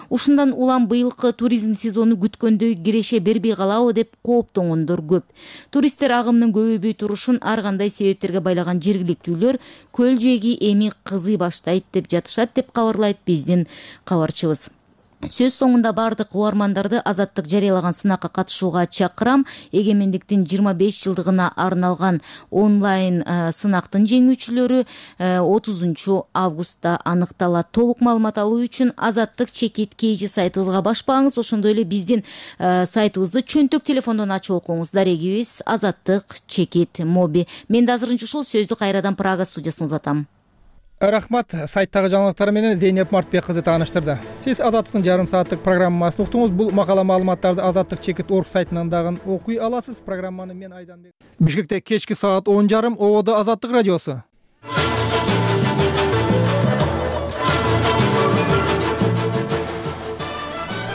Ушундан улам быйылкы туризм сезону күткөндөй киреше бербей калабы деп кооптонгондор көп. Туристтер агымынын көбөйбөй турушун ар кандай себептерге байлаган жергиликтүүлөр көл жээги эми кызый баштайт деп жатышат, деп кабарлайт биздин кабарчыбыз. Сөз соңунда бардык угармандарды азаттык жарыялаган сынакка катышууга чакырам. Эгемендиктин 25 жылдыгына арналган онлайн сынактын жеңүүчүлөрү 30 августта аныкталат. Толук маалымат алуу үчүн азаттык чекит KG сайтыбызга башпаңыз. Ошондой эле биздин сайтыбызды чөнтөк телефондон ачып окуңуз. Дарегибиз азаттык чекит моби. Мен да азырынча ушул сөздү кайрадан Прага студиясына узатам. Рахмат, сайттагы жаңылыктар менен Зейнеп Мартбек кызы тааныштырды. Сиз Азаттыктын жарым сааттык программасын уктуңуз. Бул макала маалыматтарды Азаттык чекит орг сайтынан дагы окуй аласыз. Программаны мен Айданбек. Бишкекте кечки саат 10:30 Ободо Азаттык радиосу.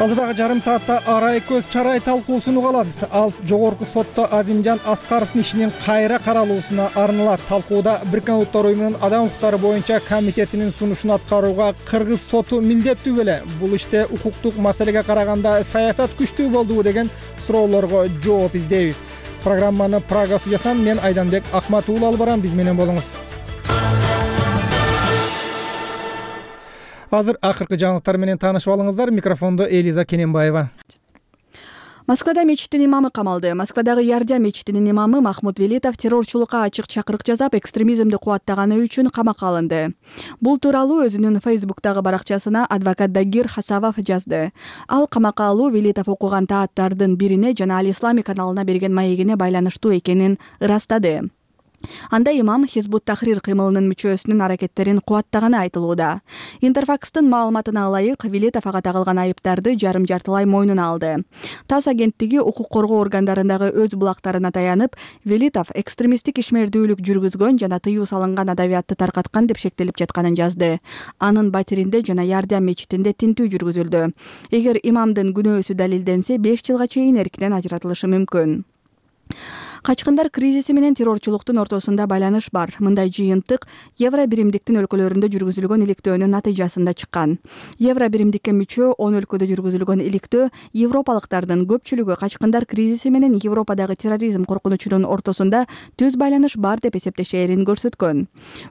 Алдыдагы жарым саатта арай көз чарай талкуусун уга аласыз. Ал жогорку сотто Азимжан Аскаровдун ишинин кайра каралуусуна арналат. Талкууда Бириккен Улуттар уюмунун адам укуктары боюнча комитетинин сунушун аткарууга Кыргыз соту милдеттүү беле? Бул иште укуктук маселеге караганда саясат күчтүү болдубу деген суроолорго жооп издейбиз. Программаны Прага студиясынан мен Айданбек Акматуулу алып барам. Биз менен болуңуз. Азыр акыркы жаңылыктар менен таанышып алыңыздар. Микрофондо Элиза Кененбаева. Москвада мечиттин имамы камалды. Москвадагы Ярдя мечитинин имамы Махмуд Велитов террорчулукка ачык чакырык жасап, экстремизмди кубаттаганы үчүн камакка алынды. Бул тууралуу өзүнүн Фейсбуктагы баракчасына адвокат Дагир Хасавов жазды. Ал камакка алуу Велитов окуган тааттардын бирине жана Ал Ислами каналына берген маегине байланыштуу экенин ырастады. Анда имам Хизбут Тахрир кыймылынын мүчөсүнүн аракеттерин кубаттаганы айтылууда. Интерфакстын маалыматына ылайык, Велитов ага тагылган айыптарды жарым-жартылай мойнуна алды. ТАСС агенттиги укук коргоо органдарындагы өз булактарына таянып, Велитов экстремисттик ишмердүүлүк жүргүзгөн жана тыюу салынган адабиятты таркаткан деп шектелип жатканын жазды. Анын батиринде жана Ярдям мечитинде тинтүү жүргүзүлдү. Эгер имамдын күнөөсү далилденсе, 5 жылга чейин эркинен ажыратылышы мүмкүн. Качкындар кризиси менен террорчулуктун ортосунда байланыш бар. Мындай жыйынтык Евро биримдиктин өлкөлөрүндө жүргүзүлгөн иликтөөнүн натыйжасында чыккан. Евро биримдикке мүчө 10 өлкөдө жүргүзүлгөн иликтөө европалыктардын көпчүлүгү качкындар кризиси менен Европадагы терроризм коркунучунун ортосунда түз байланыш бар деп эсептешээрин көрсөткөн.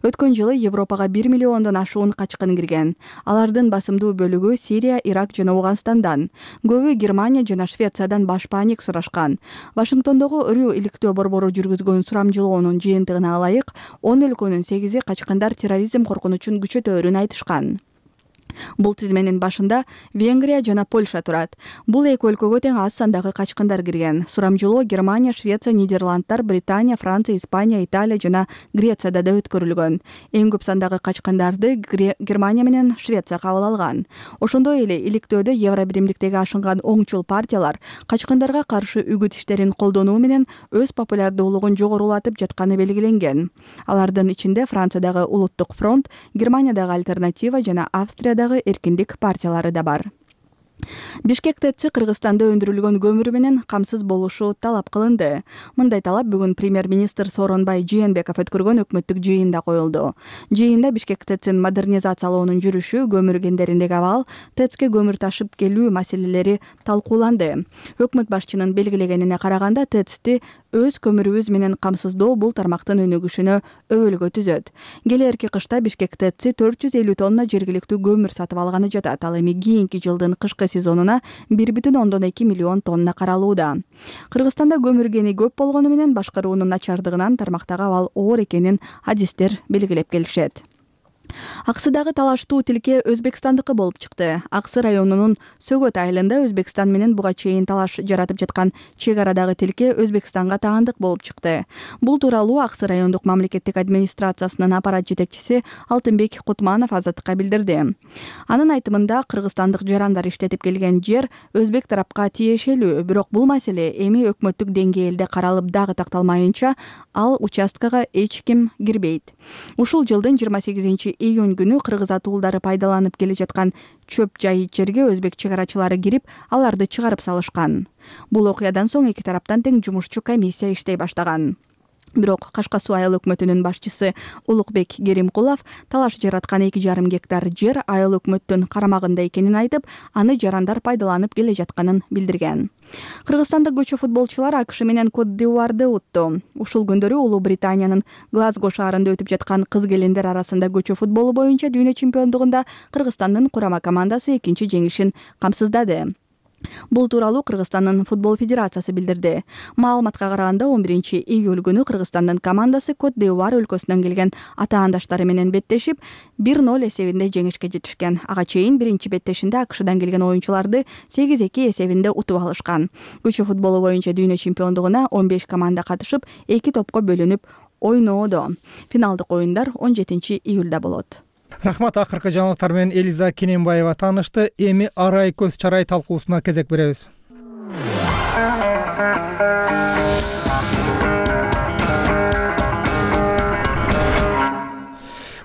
Өткөн жылы Европага 1 миллиондон ашуун качкын кирген. Алардын басымдуу бөлүгү Сирия, Ирак жана Ауганстандан. Көбү Германия жана Швециядан баш паник сурашкан. Вашингтондогу ыруу борбору жүргүзгөн сурамжылоонун жыйынтыгына ылайык 10 өлкөнүн 8-и качкындар терроризм коркунучун күчөтөөрүн айтышкан. Бул тизменин башында Венгрия жана Польша турат. Бул эки өлкөгө тең аз сандагы качкындар кирген. Сурамжылоо Германия, Швеция, Нидерландтар, Британия, Франция, Испания, Италия жана Грецияда да өткөрүлгөн. Эң көп сандагы качкындарды Германия менен Швеция кабыл алган. Ошондой эле иликтөөдө Евро биримдиктеги ашынган оңчул партиялар качкындарга каршы үгүт иштерин колдонуу менен өз популярдуулугун жогорулатып жатканы белгиленген. Алардын ичинде Франциядагы Улуттук фронт, Германиядагы Альтернатива жана Австриядагы эркиндик партиялары да бар. Бишкек ТЭЦ Кыргызстанда өндүрүлгөн көмүр менен камсыз болушу талап кылынды. Мындай талап бүгүн премьер-министр Сооронбай Жээнбеков өткөргөн өкмөттүк жыйында коюлду. Жыйында Бишкек ТЭЦин модернизациялоонун жүрүшү, көмүр кендериндеги абал, ТЭЦке көмүр ташып келүү маселелери талкууланды. Өкмөт башчынын белгилегенине караганда, ТЭЦти өз көмүрүбүз менен камсыздоо бул тармактын өнүгүшүнө өбөлгө түзөт. Келээрки кышта Бишкек ТЭЦи 450 тонна жергиликтүү көмүр сатып алганы жатат. Ал эми кийинки жылдын кышкы сезонуна 1,2 миллион тонна каралууда. Кыргызстанда көмүр кени көп болгону менен башкаруунун начардыгынан тармактагы абал оор экенин адистер белгилеп келишет. Аксыдагы талаштуу тилке Өзбекстандыкы болуп чыкты. Аксы районунун Сөгөт айылында Өзбекстан менен буга чейин талаш жаратып жаткан чек арадагы тилке Өзбекстанга таандык болуп чыкты. Бул тууралуу Аксы райондук мамлекеттик администрациясынын аппарат жетекчиси Алтынбек Кутманов Азаттыкка билдирди. Анын айтымында кыргызстандык жарандар иштетип келген жер өзбек тарапка тиешелүү, бирок бул маселе эми өкмөттүк деңгээлде каралып дагы такталмайынча ал участкага эч ким кирбейт. Ушул жылдын 28-июнь күнү кыргыз атуулдары пайдаланып келе жаткан чөп жайыт жерге өзбек чек арачылары кирип, аларды чыгарып салышкан. Бул окуядан соң эки тараптан тең жумушчу комиссия иштей баштаган. Бирок Кашка Суу айыл өкмөтүнүн башчысы Улукбек Керимкулов талаш жараткан 2,5 гектар жер айыл өкмөттүн карамагында экенин айтып, аны жарандар пайдаланып келе жатканын билдирген. Кыргызстандык көчө футболчулар АКШ менен Кот-д'Ивуарды утту. Ушул күндөрү Улуу Британиянын Глазго шаарында өтүп жаткан кыз келиндер арасында көчө футболу боюнча дүйнө чемпиондугунда Кыргызстандын курама командасы экинчи жеңишин камсыздады. Бул тууралуу Кыргызстандын футбол федерациясы билдирди. Маалыматка караганда 11-июль күнү Кыргызстандын командасы Кот-д'Ивуар өлкөсүнөн келген атаандаштары менен беттешип 1-0 эсебинде жеңишке жетишкен. Ага чейин биринчи беттешинде АКШдан келген оюнчуларды 8-2 эсебинде утуп алышкан. Көчө футболу боюнча дүйнө чемпиондугуна 15 команда катышып, 2 топко бөлүнүп ойноодо. Финалдык оюндар 17-июлда болот. Рахмат. Акыркы жаңылыктар менен Элиза Кененбаева таанышты. Эми арай көз чарай талкуусуна кезек беребиз.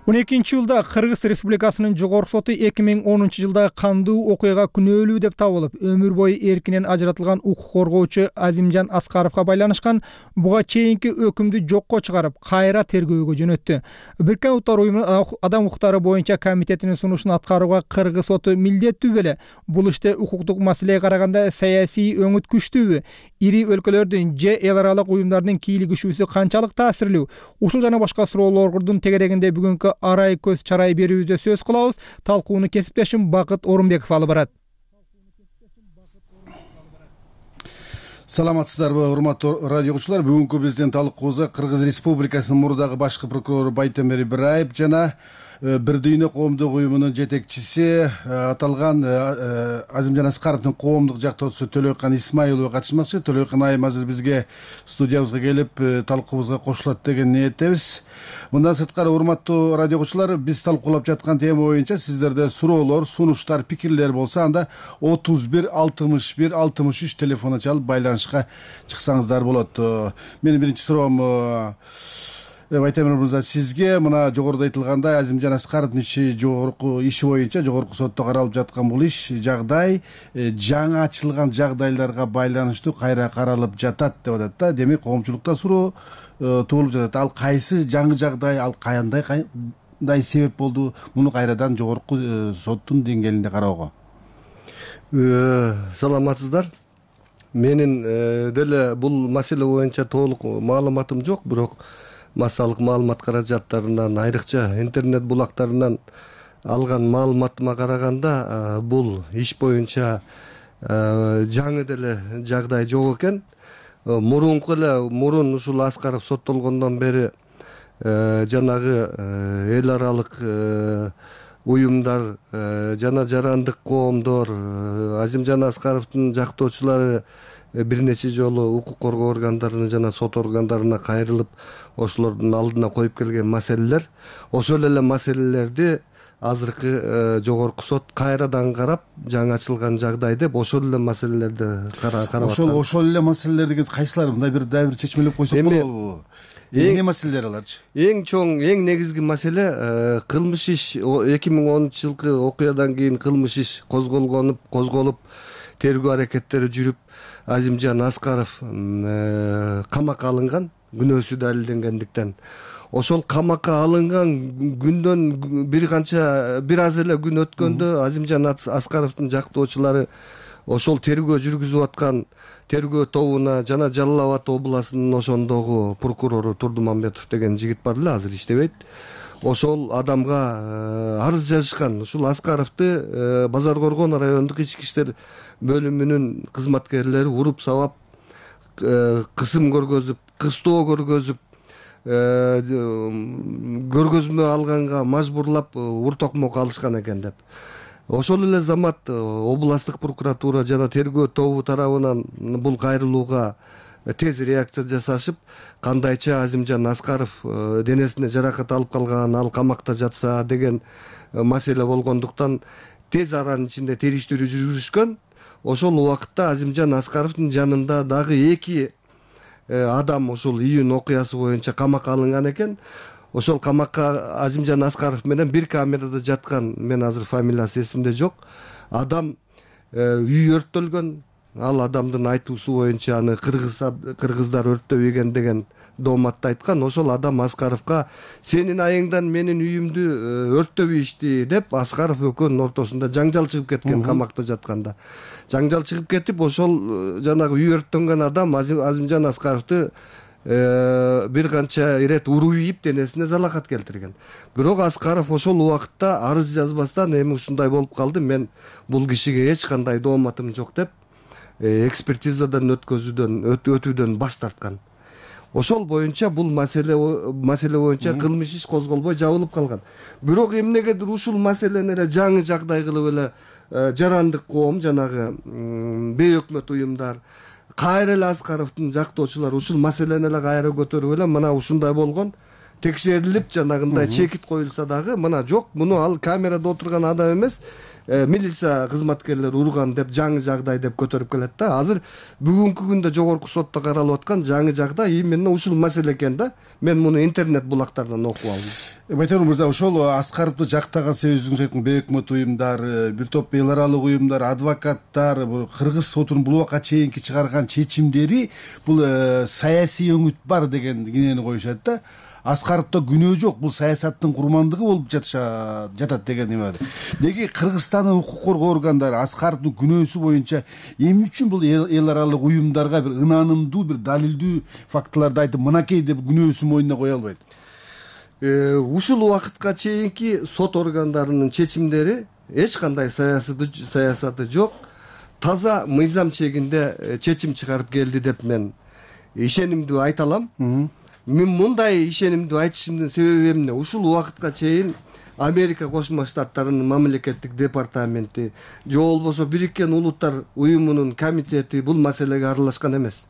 12-жылда Кыргыз Республикасынын жогорку соту 2010 жылдагы кандуу окуяга күнөөлүү деп табылып, өмүр бою эркинен ажыратылган укук коргоочу Азимжан Аскаровго байланышкан буга чейинки өкүмдү жокко чыгарып, кайра тергөөгө жөнөттү. Бириккен Улуттар Уюмунун адам укуктары боюнча комитетинин сунушун аткарууга Кыргыз соту милдеттүү беле? Бул иште укуктук маселеге караганда саясий өңүт күчтүүбү? Ири өлкөлөрдүн же эл аралык уюмдардын кийлигишүүсү канчалык таасирлүү? Ушул жана башка суроолордун тегерегинде бүгүнкү арай көз чарай берүүбүздө сөз кылабыз. Талкууну кесиптешим Бакыт Орунбеков алып барат. Саламатсыздарбы, урматтуу радио угуучулар? Бүгүнкү биздин талкуубузда Кыргыз Республикасынын мурдагы башкы прокурору Байтемир Ибраев жана Бир дүйнө коомдук уюмунун жетекчиси аталган Азимжан Аскаровдун коомдук жактоочусу Төлөкан Исмаилова катышмакчы. Төлөкан айым азыр бизге студиябызга келип талкуубузга кошулат деген ниеттебиз. Мындан сырткары, урматтуу радио угуучулар, биз талкуулап жаткан тема боюнча сиздерде суроолор, сунуштар, пикирлер болсо, анда 31 61 63 телефону чалып байланышка чыксаңыздар болот. Менин биринчи суроом Байтемир мырза, сизге мына жогоруда айтылгандай Азимжан Аскаровдун жогорку иши боюнча жогорку сотто каралып жаткан бул иш жагдай жаңы ачылган жагдайларга байланыштуу кайра каралып жатат деп атат да. Демек коомчулукта суроо туулуп жатат. Ал кайсы жаңы жагдай, ал кандай себеп болду муну кайрадан жогорку соттун деңгээлинде кароого? Саламатсыздар. Менин деле бул маселе боюнча толук маалыматым жок, бирок массалык маалымат каражаттарынан, айрыкча интернет булактарынан алган маалыматыма караганда, бул иш боюнча жаңы деле жагдай жок экен. Мурун ушул Аскаров соттолгондон бери жанагы эл аралык уюмдар жана жарандык коомдор, Азимжан Аскаровдун жактоочулары бир нече жолу укук коргоо органдарына жана сот органдарына кайрылып, ошолордун алдына коюп келген маселелер, ошол эле маселелерди азыркы жогорку сот кайрадан карап, жаңы ачылган жагдай деп ошол эле маселелерди карап аткан. Ошол эле маселелер деген кайсылар? Мындай бир чечмелеп койсок болобу? Эмне маселелер аларчы? Эң чоң, эң негизги маселе кылмыш иш 2010 жылкы окуядан кийин кылмыш иш козголуп, тергөө аракеттери жүрүп, Азимжан Аскаров камакка алынган, күнөөсү далилденгендиктен. Ошол камакка алынган күндөн бир аз эле күн өткөндө Азимжан Аскаровдун жактоочулары ошол тергөө жүргүзүп аткан тергөө тобуна жана Жалал Абад областынын ошондогу прокурору Турдумамбетов деген жигит бар эле, азыр иштебейт. Ошол адамга арыз жазышкан. Ушул Аскаровду Базар Коргон райондук ички иштер бөлүмүнүн кызматкерлери уруп сабап, кысым көргөзүп, кыстоо көргөзүп, көргөзмө алганга мажбурлап уртокмок алышкан экен деп. Ошол эле замат областтык прокуратура жана тергөө тобу тарабынан бул кайрылууга тез реакция жасашып, кандайча Азимжан Аскаров денесине жаракат алып калган, ал камакта жатса деген маселе болгондуктан тез аранын ичинде териштирүү жүргүзүшкөн. Ошол убакытта Азимжан Аскаровдун жанында дагы 2 адам ошол июнь окуясы боюнча камакка алынган экен. Ошол камакка Азимжан Аскаров менен бир камерада жаткан, мен азыр фамилиясы эсимде жок, адам үй өрттөлгөн. Ал адамдын айтуусу боюнча аны кыргыздар өрттөбөгөн деген дооматта айткан. Ошол адам Аскаровго сенин айыңдан менин үйүмдү өрттөп ийишти деп Аскаров экөөнүн ортосунда жаңжал чыгып кеткен. Камакта жатканда жаңжал чыгып кетип, ошол жанагы үй өрттөнгөн адам Азимжан Аскаровду бир канча ирет уруу ийип денесине залакат келтирген. Бирок Аскаров ошол убакытта арыз жазбастан эми ушундай болуп калды, мен бул кишиге эч кандай дооматым жок деп экспертизадан өтүүдөн баш тарткан. Ошол боюнча бул маселе боюнча кылмыш иш козголбой жабылып калган. Бирок эмнегедир ушул маселени эле жаңы жагдай кылып эле жарандык коом, жанагы бейөкмөт уюмдар, кайра эле Аскаровдун жактоочулары ушул маселени эле кайра көтөрүп эле мына ушундай болгон, текшерилип жанагындай чекит коюлса дагы мына жок, муну ал камерада отурган адам эмес, милиция кызматкерлери урган деп жаңы жагдай деп көтөрүп келет да. Азыр бүгүнкү күндө жогорку сотто каралып аткан жаңы жагдай именно ушул маселе экен да. Мен муну интернет булактардан окуп алдым. Байтемир мырза, ошол Аскаровду жактаган себебиңиз айткан бейөкмөт уюмдар, бир топ эл аралык уюмдар, адвокаттар, кыргыз сотунун бул убакка чейинки чыгарган чечимдери бул саясий өңүт бар деген кенени коюшат да. Аскаровдо күнөө жок, бул саясаттын курмандыгы болуп жатат деген эме бар. Деги Кыргызстандын укук коргоо органдары Аскаровдун күнөөсү боюнча эмне үчүн бул эл аралык уюмдарга бир ынанымдуу, бир далилдүү фактыларды айтып, мынакей деп күнөөсүн мойнуна кое албайт? Ушул убакытка чейинки сот органдарынын чечимдери эч кандай саясаты жок, таза мыйзам чегинде чечим чыгарып келди деп мен ишенимдүү айта алам. Мен мындай ишенимдүү айтышымдын себеби эмне? Ушул убакытка чейин Америка Кошмо Штаттарынын мамлекеттик департаменти же болбосо Бириккен Улуттар уюмунун комитети бул маселеге аралашкан эмес.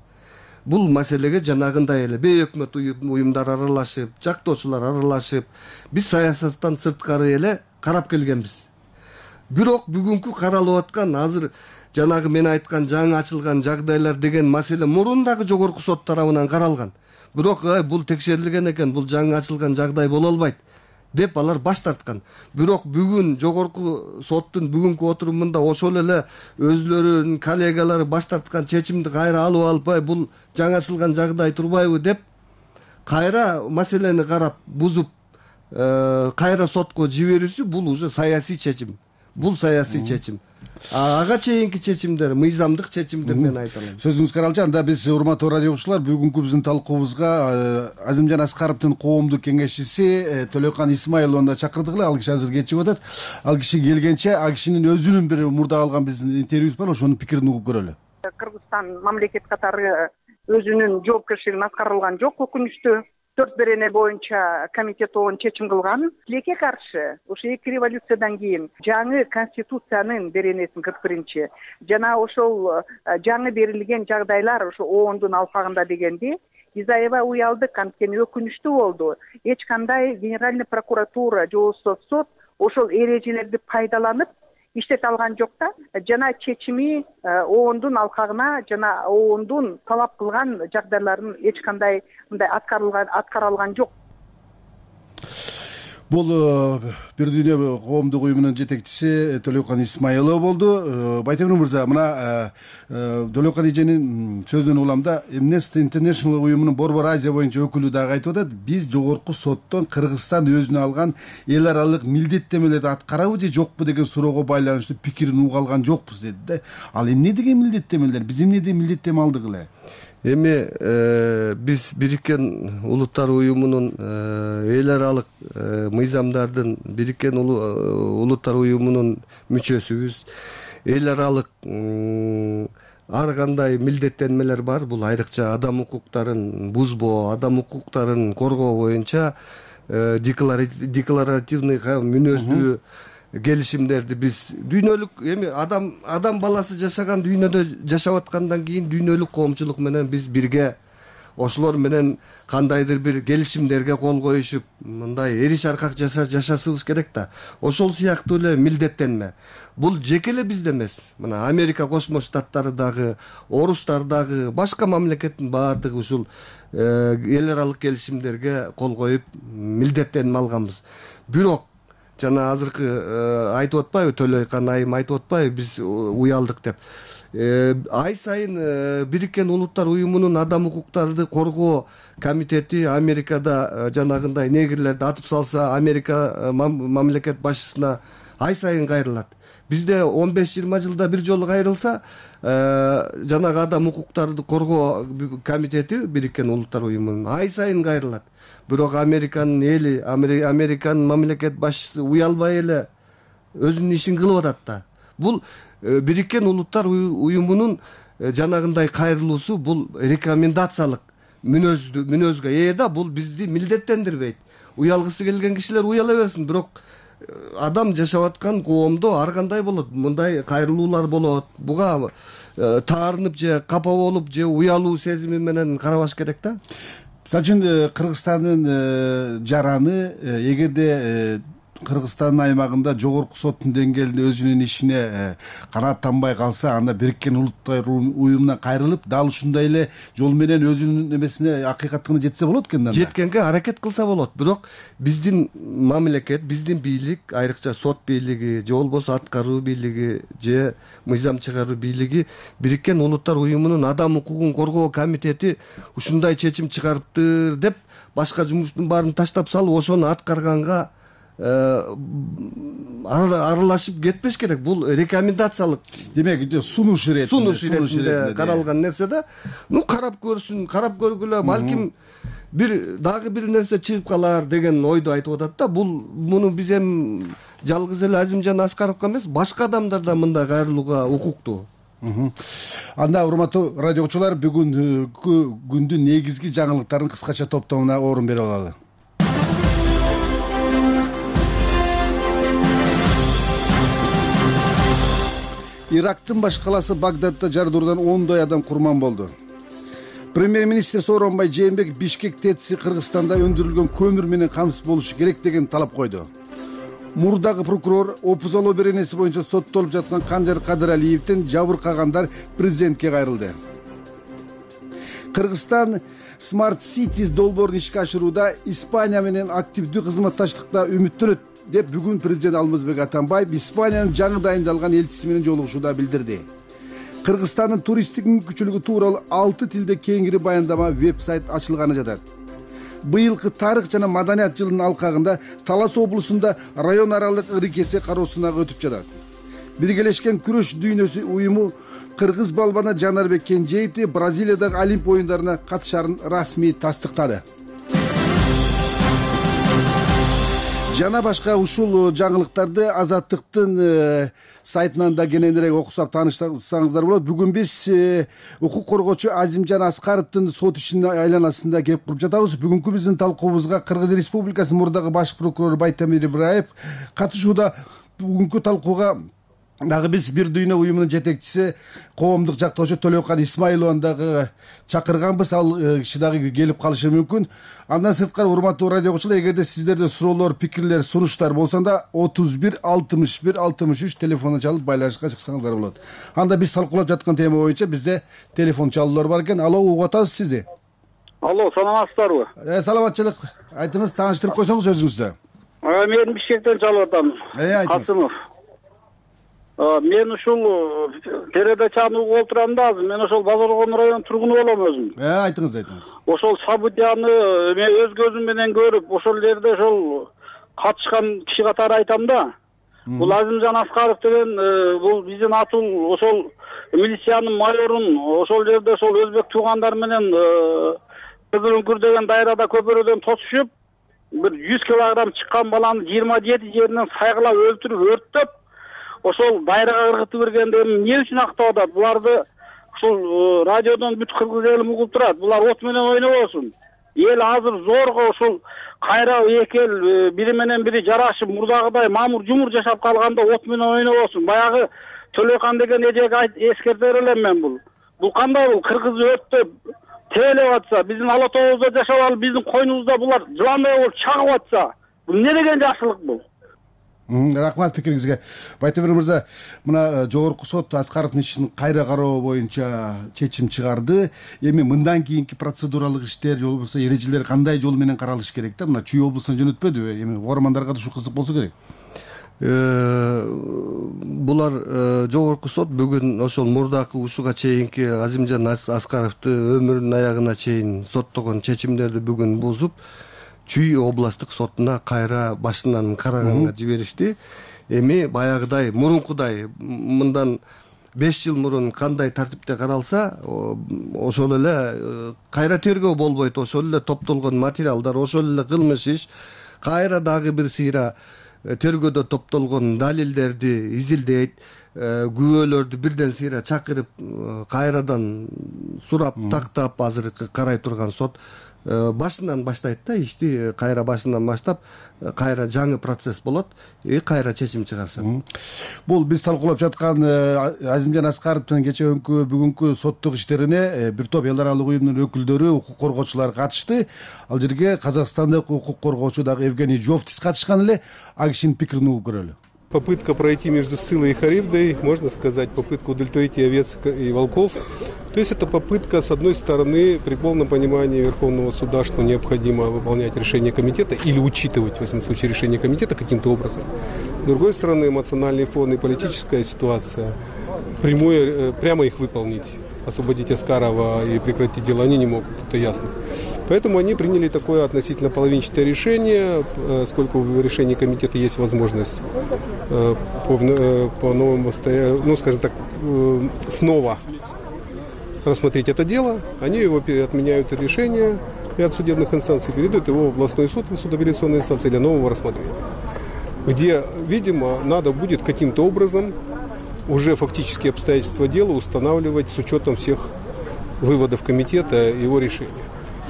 Бул маселеге жанагындай эле бейөкмөт уюмдар аралашып, жактоочулар аралашып, биз саясаттан сырткары эле карап келгенбиз. Бирок бүгүнкү каралып аткан азыр жанагы мен айткан жаңы ачылган жагдайлар деген маселе мурун дагы жогорку сот тарабынан каралган. Бирок бул текшерилген экен, бул жаңы ачылган жагдай боло албайт деп алар баш тарткан. Бирок бүгүн жогорку соттун бүгүнкү отурумунда ошол эле өзлөрүнүн коллегалары баш тарткан чечимди кайра алып албай, бул жаңы ачылган жагдай турбайбы деп кайра маселени карап бузуп кайра сотко жиберүүсү бул уже саясий чечим. Бул саясий чечим. Ага чейинки чечимдер мыйзамдык чечим деп мен айта алам. Сөзүңүз каралчы. Анда биз урматтуу радио угуучулар, бүгүнкү биздин талкуубузга Азимжан Аскаровдун коомдук кеңешчиси Төлөкан Исмаиловну чакырдык эле. Ал киши азыр кетип атат. Ал киши келгенче ал кишинин өзүнүн бир мурда алган биздин интервьюбуз бар, ошонун пикирин угуп көрөлү. Кыргызстан мамлекет катары өзүнүн жоопкерчилигин аткара жок, өкүнүчтүү. 4 берене боюнча комитет оон чечим кылган. Тилекке каршы ошо эки революциядан кийин жаңы конституциянын беренесин 41-чи жана ошол жаңы берилген жагдайлар ошо оондун алкагында дегенди Изаева уялдык, анткени өкүнүчтүү болду. Эч кандай генеральный прокуратура же болбосо сот ошол эрежелерди пайдаланып иштете алган жок да. Жана чечими оондун алкагына жана оондун талап кылган жагдайларын эч кандай мындай аткара алган жок. Бул Бир дүйнө коомдук уюмунун жетекчиси Төлөкан Исмаилов болду. Байтемир мырза, мына Төлөкан эженин сөзүнөн уламда Amnesty International уюмунун Борбор Азия боюнча өкүлү дагы айтып атат, биз жогорку соттон Кыргызстан өзүнө алган эл аралык милдеттемелерди аткарабы же жокпу деген суроого байланыштуу пикирин уга алган жокпуз деди да. Ал эмне деген милдеттемелер? Биз эмнеден милдеттеме алдык эле? Эми биз Бириккен Улуттар уюмунун эл аралык мыйзамдардын Бириккен Улуттар уюмунун мүчөсүбүз. Эл аралык ар кандай милдеттенмелер бар. Бул айрыкча адам укуктарын бузбоо, адам укуктарын коргоо боюнча декларативный мүнөздүү келишимдерди биз дүйнөлүк эми адам баласы жашаган дүйнөдө жашап аткандан кийин дүйнөлүк коомчулук менен биз бирге ошолор менен кандайдыр бир келишимдерге кол коюшуп мындай эриш аркак жашашыбыз керек да. Ошол сыяктуу эле милдеттенме. Бул жеке эле бизде эмес. Мына Америка Кошмо Штаттары дагы, орустар дагы, башка мамлекеттин баардыгы ушул эл аралык келишимдерге кол коюп милдеттенип алганбыз. Бирок жана азыркы айтып атпайбы, Төлөкан айым айтып атпайбы, биз уялдык деп. ай сайын Бириккен Улуттар Уюмунун Адам укуктарды коргоо комитети Америкада жанагындай негрлерди атып салса, Америка мамлекет башчысына ай сайын кайрылат. Бизде 15-20 жылда бир жолу кайрылса, жанагы адам укуктарды коргоо комитети Бириккен Улуттар Уюмунун ай сайын кайрылат. Бирок Американын эли, Американын мамлекет башчысы уялбай эле өзүнүн ишин кылып атат да. Бул Бириккен Улуттар Уюмунун жанагындай кайрылуусу бул рекомендациялык мүнөзгө ээ да, бул бизди милдеттендирбейт. Уялгысы келген кишилер уяла берсин, бирок адам жашап аткан коомдо ар кандай болот, мындай кайрылуулар болот. Буга таарынып же капа болуп же уялуу сезими менен карабаш керек да. Мисалы үчүн Кыргызстандын жараны эгерде Кыргызстандын аймагында жогорку соттун деңгээлинде өзүнүн ишине канааттанбай калса, анда Бириккен Улуттар Уюмуна кайрылып, дал ушундай эле жол менен өзүнүн эмесине, акыйкатына жетсе болот экен да. Жеткенге аракет кылса болот. Бирок биздин мамлекет, биздин бийлик, айрыкча сот бийлиги же болбосо аткаруу бийлиги же мыйзам чыгаруу бийлиги Бириккен Улуттар Уюмунун Адам укугун коргоо комитети ушундай чечим чыгарыптыр деп башка жумуштун баарын таштап салып, ошону аткарганга аралашып кетпеш керек. Бул рекомендациялык, демек сунуш иретинде каралган нерсе да. Карап көрсүн, карап көргүлө, балким дагы бир нерсе чыгып калар деген ойду айтып атат да. Муну биз эми жалгыз эле Азимжан Аскаровго эмес, башка адамдар да мындай кайрылууга укуктуу. Анда урматтуу радио угуучулар, бүгүнкү күндүн негизги жаңылыктарын кыскача топтомуна орун бере алалы. Ирактын баш калаасы Багдадда жардыруудан 10 адам курман болду. Премьер-министр Сооронбай Жээнбеков Бишкек ТЭЦи Кыргызстанда өндүрүлгөн көмүр менен камсыз болушу керек деген талап койду. Мурдагы прокурор опузалоо беренеси боюнча соттолуп жаткан Канжар Кадыралиевден жабыркагандар президентке кайрылды. Кыргызстан Smart Cities долбоорун ишке ашырууда Испания менен активдүү кызматташтыкта үмүттөнөт деп бүгүн президент Алмазбек Атамбаев Испаниянын жаңы дайындалган элчиси менен жолугушууда билдирди. Кыргызстандын туристтик мүмкүнчүлүгү тууралуу 6 тилде кеңири баяндама веб-сайт ачылганы жатат. Быйылкы тарых жана маданият жылынын алкагында Талас облусунда район аралык ыры-кесе кароосунан өтүп жатат. Биргелешкен күрөш дүйнөсү уюму кыргыз балбаны Жанарбек Кенжеевди Бразилиядагы Олимп оюндарына катышарын расмий тастыктады. Жана башка ушул жаңылыктарды Азаттыктын сайтынан да кененирээк окусап таанышсаңыздар болот. Бүгүн биз укук коргоочу Азимжан Аскаровдун сот ишинин айланасында кеп туруп жатабыз. Бүгүнкү биздин талкуубузга Кыргыз Республикасынын мурдагы баш прокурору Байтемир Ибраев катышууда. Бүгүнкү талкууга дагы биз Бир дүйнө уюмунун жетекчиси коомдук жактоочу Төлөкан Исмаилованы дагы чакырганбыз. Ал киши дагы келип калышы мүмкүн. Андан сырткары урматтуу радио угуучулар, эгерде сиздерде суроолор, пикирлер, сунуштар болсонда 31 61 63 телефонун чалып байланышка чыксаңыздар болот. Анда биз талкуулап жаткан тема боюнча бизде телефон чалуулар бар экен. Алло, угуп атабыз сизди. Алло, саламатсыздарбы? Саламатчылык. Айтыңыз, тааныштырып койсоңуз өзүңүздү. Мен Бишкектен чалып атам. Касымов. Мен ушул передачаны угуп отурам да, мен ошол Базаркон районунун тургуну болом өзүм. Айтыңыз. Ошол событияны мен өз көзүм менен көрүп, ошол жерде ошол катышкан киши катары айтам да. Бул Азимжан Аскаров деген бул биздин атул ошол милициянын майорун ошол жерде ошол өзбек туугандар менен Кызыл үңкүр деген дайрада көпөрөдөн тосушуп, бир 100 килограмм чыккан баланы 27 жеринен сайгылап өлтүрүп, өрттөп, ошол дайрага ыргытып бергенде эмне үчүн актап атат? Буларды ушул радиодон бүт кыргыз эли угуп турат. Булар от менен ойнобосун. Эл азыр зорго ушул кайра эки эл бири менен бири жарашып, мурдагыдай мамур жумур жашап калганда от менен ойнобосун. Баягы Төлөкан деген эжеге эскертер элем мен бул. Бул кандай бул кыргыз өрттөп тейлеп атса, биздин ала тообузда жашап алып, биздин койнубузда булар жыландай болуп чагып атса, бул эмне деген жакшылык бул? Рахмат пикириңизге. Байтемир мырза, мына жогорку сот Аскаровдун ишин кайра кароо боюнча чечим чыгарды. Эми мындан кийинки процедуралык иштер, же болбосо эрежелер кандай жол менен каралыш керек да? Мына Чүй облусуна жөнөтпөдүбү? Эми угармандарга да ушу кызык болсо керек. булар жогорку сот бүгүн ошол мурдакы ушуга чейинки Азимжан Аскаровду өмүрүнүн аягына чейин соттогон чечимдерди бүгүн бузуп Чүй областтык сотуна кайра башынан караганга жиберишти. Эми баягыдай мурункудай мындан 5 жыл мурун кандай тартипте каралса, ошол эле кайра тергөө болбойт, ошол эле топтолгон материалдар, ошол эле кылмыш иш, кайра дагы бир сыйра тергөөдө топтолгон далилдерди изилдейт, күбөлөрдү бирден сыйра чакырып, кайрадан сурап, тактап азыркы карай турган сот башынан баштайт да, ишти кайра башынан баштап, кайра жаңы процесс болот, кайра чечим чыгарышат. Бул биз талкуулап жаткан Азимжан Аскаровдун кечээкү бүгүнкү соттук иштерине бир топ эл аралык уюмдун өкүлдөрү, укук коргоочулар катышты. Ал жерге Казакстандык укук коргоочу дагы Евгений Жовтис катышкан эле. А кишинин пикирин угуп көрөлү. Попытка пройти между Ссылой и Харибдой, можно сказать, попытка удовлетворить и овец, и волков. То есть это попытка, с одной стороны, при полном понимании Верховного суда, что необходимо выполнять решение комитета или учитывать, в этом случае, решение комитета каким-то образом. С другой стороны, эмоциональный фон и политическая ситуация, прямо их выполнить, освободить Аскарова и прекратить дело они не могут, это ясно. Поэтому они приняли такое относительно половинчатое решение, сколько в решении комитета есть возможность по новому, ну, скажем так, снова рассмотреть это дело. Они его отменяют решение, ряд судебных инстанций передают его в областной суд, в суд апелляционной инстанции для нового рассмотрения, где, видимо, надо будет каким-то образом уже фактические обстоятельства дела устанавливать с учетом всех выводов комитета и его решения.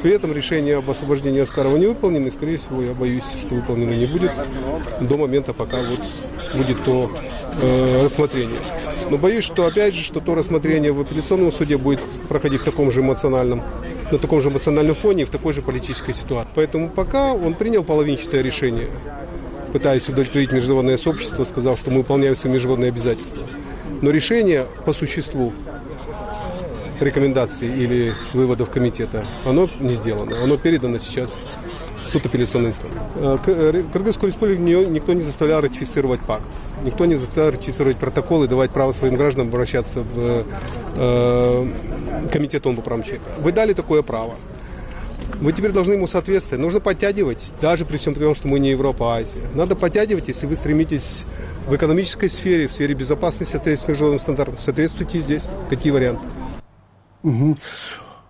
При этом решение об освобождении Аскарова не выполнено, и, скорее всего, я боюсь, что выполнено не будет до момента, пока вот будет то рассмотрение. Но боюсь, что, опять же, что то рассмотрение в апелляционном суде будет проходить в таком же эмоциональном, на таком же эмоциональном фоне и в такой же политической ситуации. Поэтому пока он принял половинчатое решение, пытаясь удовлетворить международное сообщество, сказав, что мы выполняем свои международные обязательства. Но решение по существу рекомендаций или выводов комитета, оно не сделано. Оно передано сейчас в суд апелляционной инстанции. Кыргызскую республику никто не заставлял ратифицировать пакт. Никто не заставлял ратифицировать протокол и давать право своим гражданам обращаться в комитет ООН по правам человека. Вы дали такое право. Вы теперь должны ему соответствовать. Нужно подтягивать, даже при всем том, что мы не Европа, а Азия. Надо подтягивать, если вы стремитесь в экономической сфере, в сфере безопасности, соответственно, международным стандартам. Соответствуйте здесь. Какие варианты?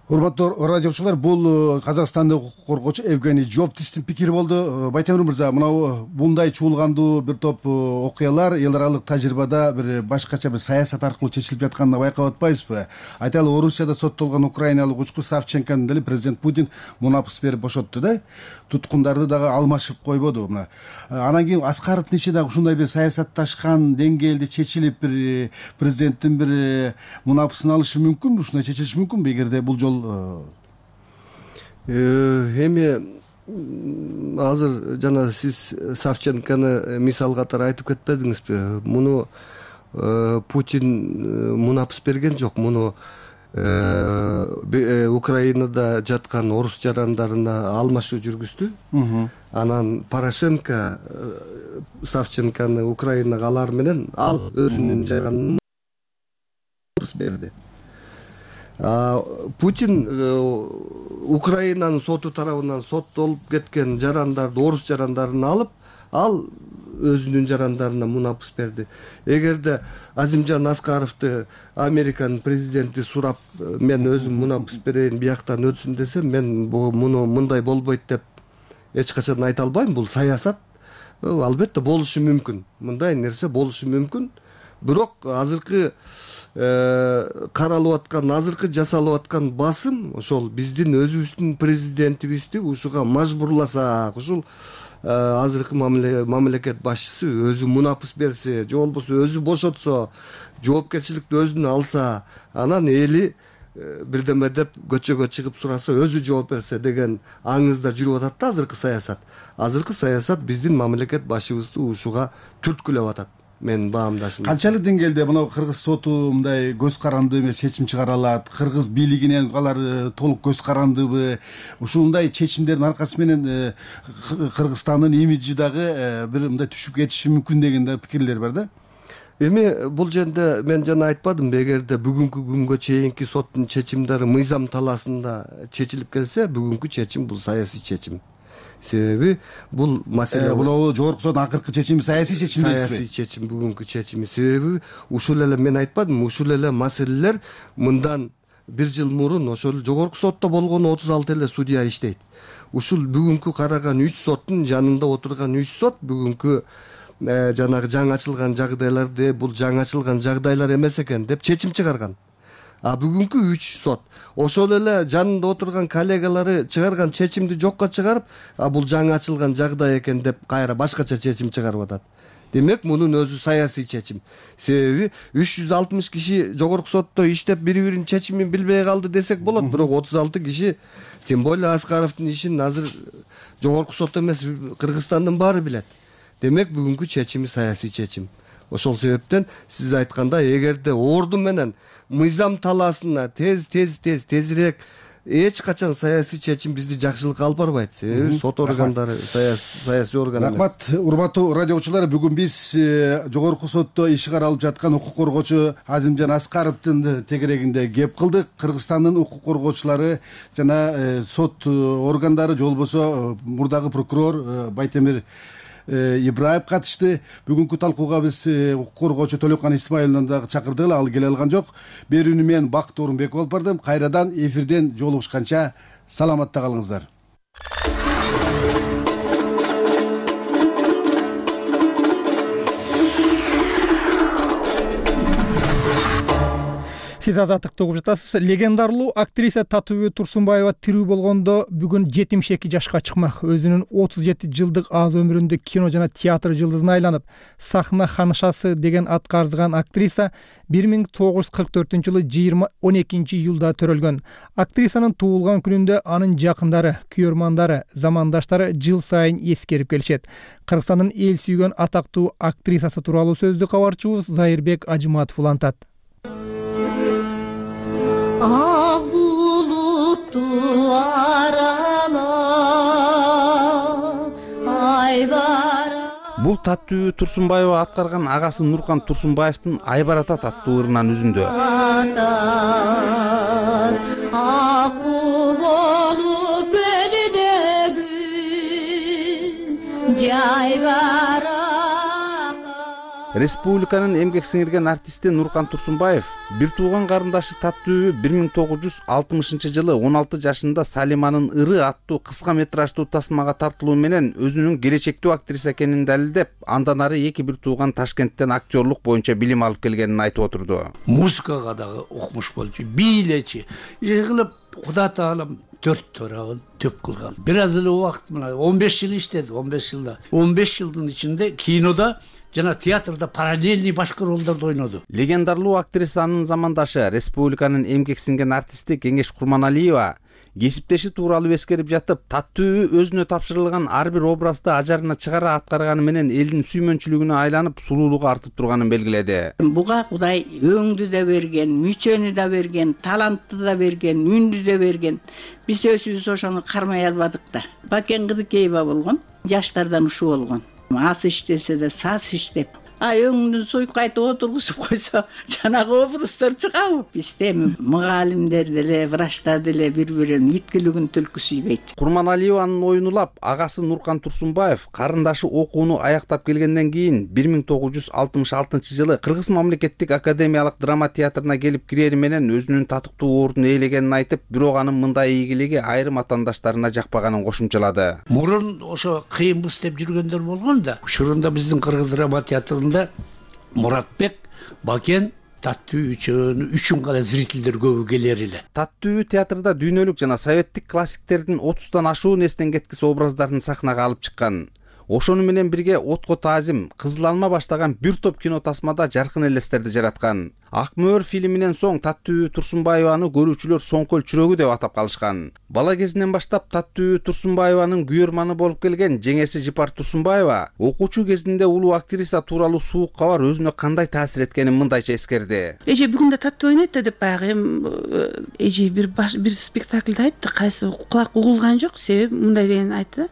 Урматтуу радиочулар, бул Казакстандык укук коргоочу Евгений Жовтистин пикири болду. Байтемир мырза, мына мындай чуулгандуу бир топ окуялар эл аралык тажрыйбада бир башкача бир саясат аркылуу чечилип жатканын байкап атпайбызбы? Айталы, Орусияда соттолгон украиналык учкуч Савченкону деле президент Путин мунапыс берип бошотту да. Туткундарды дагы алмашып койбоду. Мына анан кийин Аскаровдун иши дагы ушундай бир саясатташкан деңгээлде чечилип, бир президенттин бир мунапысын алышы мүмкүнбү? Ушундай чечилиши мүмкүнбү эгерде бул жол? Эми азыр жана сиз Савченкону мисал катары айтып кетпедиңизби? Муну Путин мунапыс берген жок. Муну Украинада жаткан орус жарандарына алмашуу жүргүздү. Анан Порошенко Савченкону Украинага алар менен ал өзүнүн жаранын берди. Путин Украинанын соту тарабынан соттолуп кеткен жарандарды, орус жарандарын алып, ал өзүнүн жарандарына мунапыс берди. Эгерде Азимжан Аскаровду Американын президенти сурап, мен өзүм мунапыс берейин, бияктан өтсүн десе, мен муну мындай болбойт деп эч качан айта албайм. Бул саясат. Албетте болушу мүмкүн. Мындай нерсе болушу мүмкүн. Бирок азыркы каралып аткан, азыркы жасалып аткан басым ошол биздин өзүбүздүн президентибизди ушуга мажбурласак, ушул азыркы мамлекет башчысы өзү мунапыс берсе, же болбосо өзү бошотсо, жоопкерчиликти өзүнө алса, анан эли бирдеме деп көчөгө чыгып сураса, өзү жооп берсе деген аңызда жүрүп атат да азыркы саясат. Азыркы саясат биздин мамлекет башчыбызды ушуга түрткүлөп атат. менин баамдашым. Канчалык деңгээлде мына кыргыз соту мындай көз каранды эмес чечим чыгара алат? Кыргыз бийлигинен алар толук көз карандыбы? Ушундай чечимдердин аркасы менен Кыргызстандын имиджи дагы бир мындай түшүп кетиши мүмкүн деген да пикирлер бар да. Эми бул жерде мен жана айтпадымбы, эгерде бүгүнкү күнгө чейинки соттун чечимдери мыйзам талаасында чечилип келсе, бүгүнкү чечим бул саясий чечим. Себеби бул маселе бул жогорку соттун акыркы чечими саясий чечим дейсизби? Саясий чечим бүгүнкү чечими. Себеби ушул эле мен айтпадымбы, ушул эле маселелер мындан 1 жыл мурун ошол жогорку сотто болгон 36 эле судья иштейт. Ушул бүгүнкү караган 3 соттун жанында отурган 3 сот бүгүнкү жанагы жаңы ачылган жагдайларды бул жаңы ачылган жагдайлар эмес экен деп чечим чыгарган. А бүгүнкү 3 сот ошол эле жанында отурган коллегалары чыгарган чечимди жокко чыгарып, бул жаңы ачылган жагдай экен деп кайра башкача чечим чыгарып атат. Демек мунун өзү саясий чечим. Себеби 360 киши жогорку сотто иштеп бири-биринин чечимин билбей калды десек болот, бирок 36 киши, тем более Аскаровдун ишин азыр жогорку сот эмес Кыргызстандын баары билет. Демек бүгүнкү чечими саясий чечим. Ошол себептен сиз айткандай, эгерде орду менен мыйзам талаасына тезирээк эч качан саясий чечим бизди жакшылыкка алып барбайт. Себеби сот органдары саясий орган эмес. Рахмат, урматтуу радиочулар, бүгүн биз жогорку сотто иши каралып жаткан укук коргоочу Азимжан Аскаровдун тегерегинде кеп кылдык. Кыргызстандын укук коргоочулары жана сот органдары, же болбосо мурдагы прокурор Байтемир Ибраев катышты. Бүгүнкү талкууга биз укук коргоочу Төлөккан Исмаиловну дагы чакырдык, ал келе алган жок. Берүүнү мен Бакыт Орунбеков алып бардым. Кайрадан эфирден жолугушканча саламатта калыңыздар. Сиз азаттыкты угуп жатасыз. Легендарлуу актриса Татуу Турсунбаева тирүү болгондо бүгүн 72 жашка чыкмак. Өзүнүн 37 жылдык аз өмүрүндө кино жана театр жылдызына айланып, сахна ханышасы деген атка арзыган актриса 1944-жылы 12-июлда төрөлгөн. Актрисанын туулган күнүндө анын жакындары, күйөрмандары, замандаштары жыл сайын эскерип келишет. Кыргызстандын эл сүйгөн атактуу актрисасы тууралуу сөздү кабарчыбыз Зайырбек Ажыматов улантат. Ак булутту аралап Айбара. Бул Татуу Турсунбаева аткарган агасы Нуркан Турсунбаевдин Айбарат аттуу ырынан үзүндү. Ак болуп белдеги жайбара. Республиканын эмгек сиңирген артисти Нуркан Турсунбаев бир тууган карындашы Татуу 1960-жылы 16 жашында Салиманын ыры аттуу кыска метраждуу тасмага тартылуу менен өзүнүн келечектүү актриса экенин далилдеп, андан ары эки бир тууган Ташкенттен актерлук боюнча билим алып келгенин айтып отурду. Музыкага дагы окумуш болчу, бийлечи. Кылып Куда Таалам 4 тарабын төп кылган. Бир аз эле убакыт мына 15 жыл иштеди, 15 жылда. 15 жылдын ичинде кинода жана театрда параллельный башка ролдорду ойноду. Легендарлуу актрисанын замандашы, республиканын эмгек сиңген артисти Кеңеш Курманалиева кесиптеши тууралуу эскерип жатып, Татуу өзүнө тапшырылган ар бир образды ажарына чыгара аткарганы менен элдин сүймөнчүлүгүнө айланып, сулуулугу артып турганын белгиледи. Буга Кудай өңдү да берген, мүчөнү да берген, талантты да берген, үндү да берген. Биз өзүбүз ошону кармай албадык да. Бакен Кыдыкеева болгон, жаштардан ушу болгон. Ас иштесе де саз иштеп, өңүнүн суйкайтып отургузуп койсо жанагы образдар чыгабы? Бизде мугалимдер деле, врачтар деле бири-биринин иткилигин түлкү сүйбөйт. Курманалиеванын оюн улап, агасы Нуркан Турсунбаев карындашы окууну аяктап келгенден кийин 1966-жылы Кыргыз мамлекеттик академиялык драма театрына келип кирери менен өзүнүн татыктуу ордун ээлегенин айтып, бирок анын мындай ийгилиги айрым атаандаштарына жакпаганын кошумчалады. Мурун ошо кыйынбыз деп жүргөндөр болгон да. Ушурунда биздин Кыргыз драма театрында Муратбек, Бакен, Татуу үчүн гана зрителдер көбү келер эле. Татуу театрда дүйнөлүк жана советтик классиктердин 30тан ашуун эстен кеткис образдарын сахнага алып чыккан. ошону менен бирге отко таазим, Кызыл алма баштаган бир топ кино тасмада жаркын элестерди жараткан. Ак мөөр фильминен соң Таттуу Турсунбаеваны көрүүчүлөр соңкөл чүрөгү деп атап калышкан. Бала кезинен баштап Таттуу Турсунбаеванын күйөрманы болуп келген жеңеси Жипар Турсунбаева окуучу кезинде улуу актриса тууралуу суук кабар өзүнө кандай таасир эткенин мындайча эскерди. Эже бүгүн да таттуу ойнойт да деп баягы эже бир спектакльде айтты, кайсы кулак угулган жок, себеби мындай деген айтты.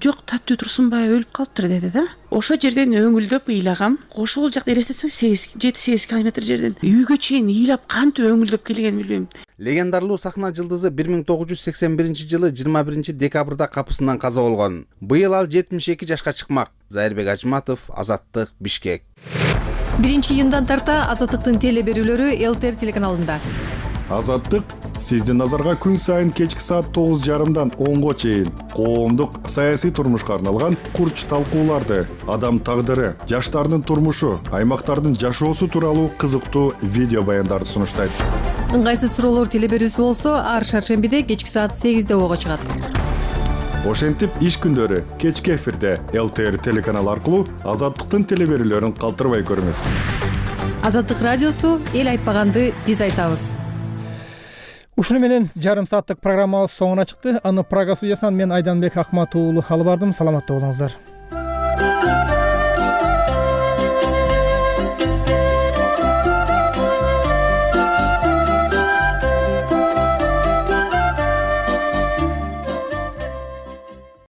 Жок, Таттуу Турсунбаева өлүп калыптыр деди да. Ошо жерден өңүлдөп ыйлагам. Ошол жакта элестетсең 7-8 километр жерден үйгө чейин ыйлап кантип өңүлдөп келгенин билбейм. Легендарлуу сахна жылдызы 1981-жылы 21 декабрда капысынан каза болгон. Быйыл ал 72 жашка чыкмак. Зайырбек Ажматов, Азаттык, Бишкек. 1-июндан тарта Азаттыктын теле берүүлөрү ЛТР телеканалында. Азаттык сиздин назарга күн сайын кечки саат 9:30 10го чейин коомдук саясий турмушка арналган курч талкууларды, адам тагдыры, жаштардын турмушу, аймактардын жашоосу тууралуу кызыктуу видео баяндарды сунуштайт. Ыңгайсыз суроолор теле берүүсү болсо, ар шаршембиде кечки саат 8-де ого чыгат. Ошентип иш күндөрү кечки эфирде ЛТР телеканалы аркылуу Азаттыктын теле берүүлөрүн калтырбай көрүңүз. Азаттык радиосу эл айтпаганды биз айтабыз. Ушуну менен жарым сааттык программабыз соңуна чыкты. Аны Прага студиясынан мен Айданбек Акматов уулу алып бардым. Саламатта болуңуздар.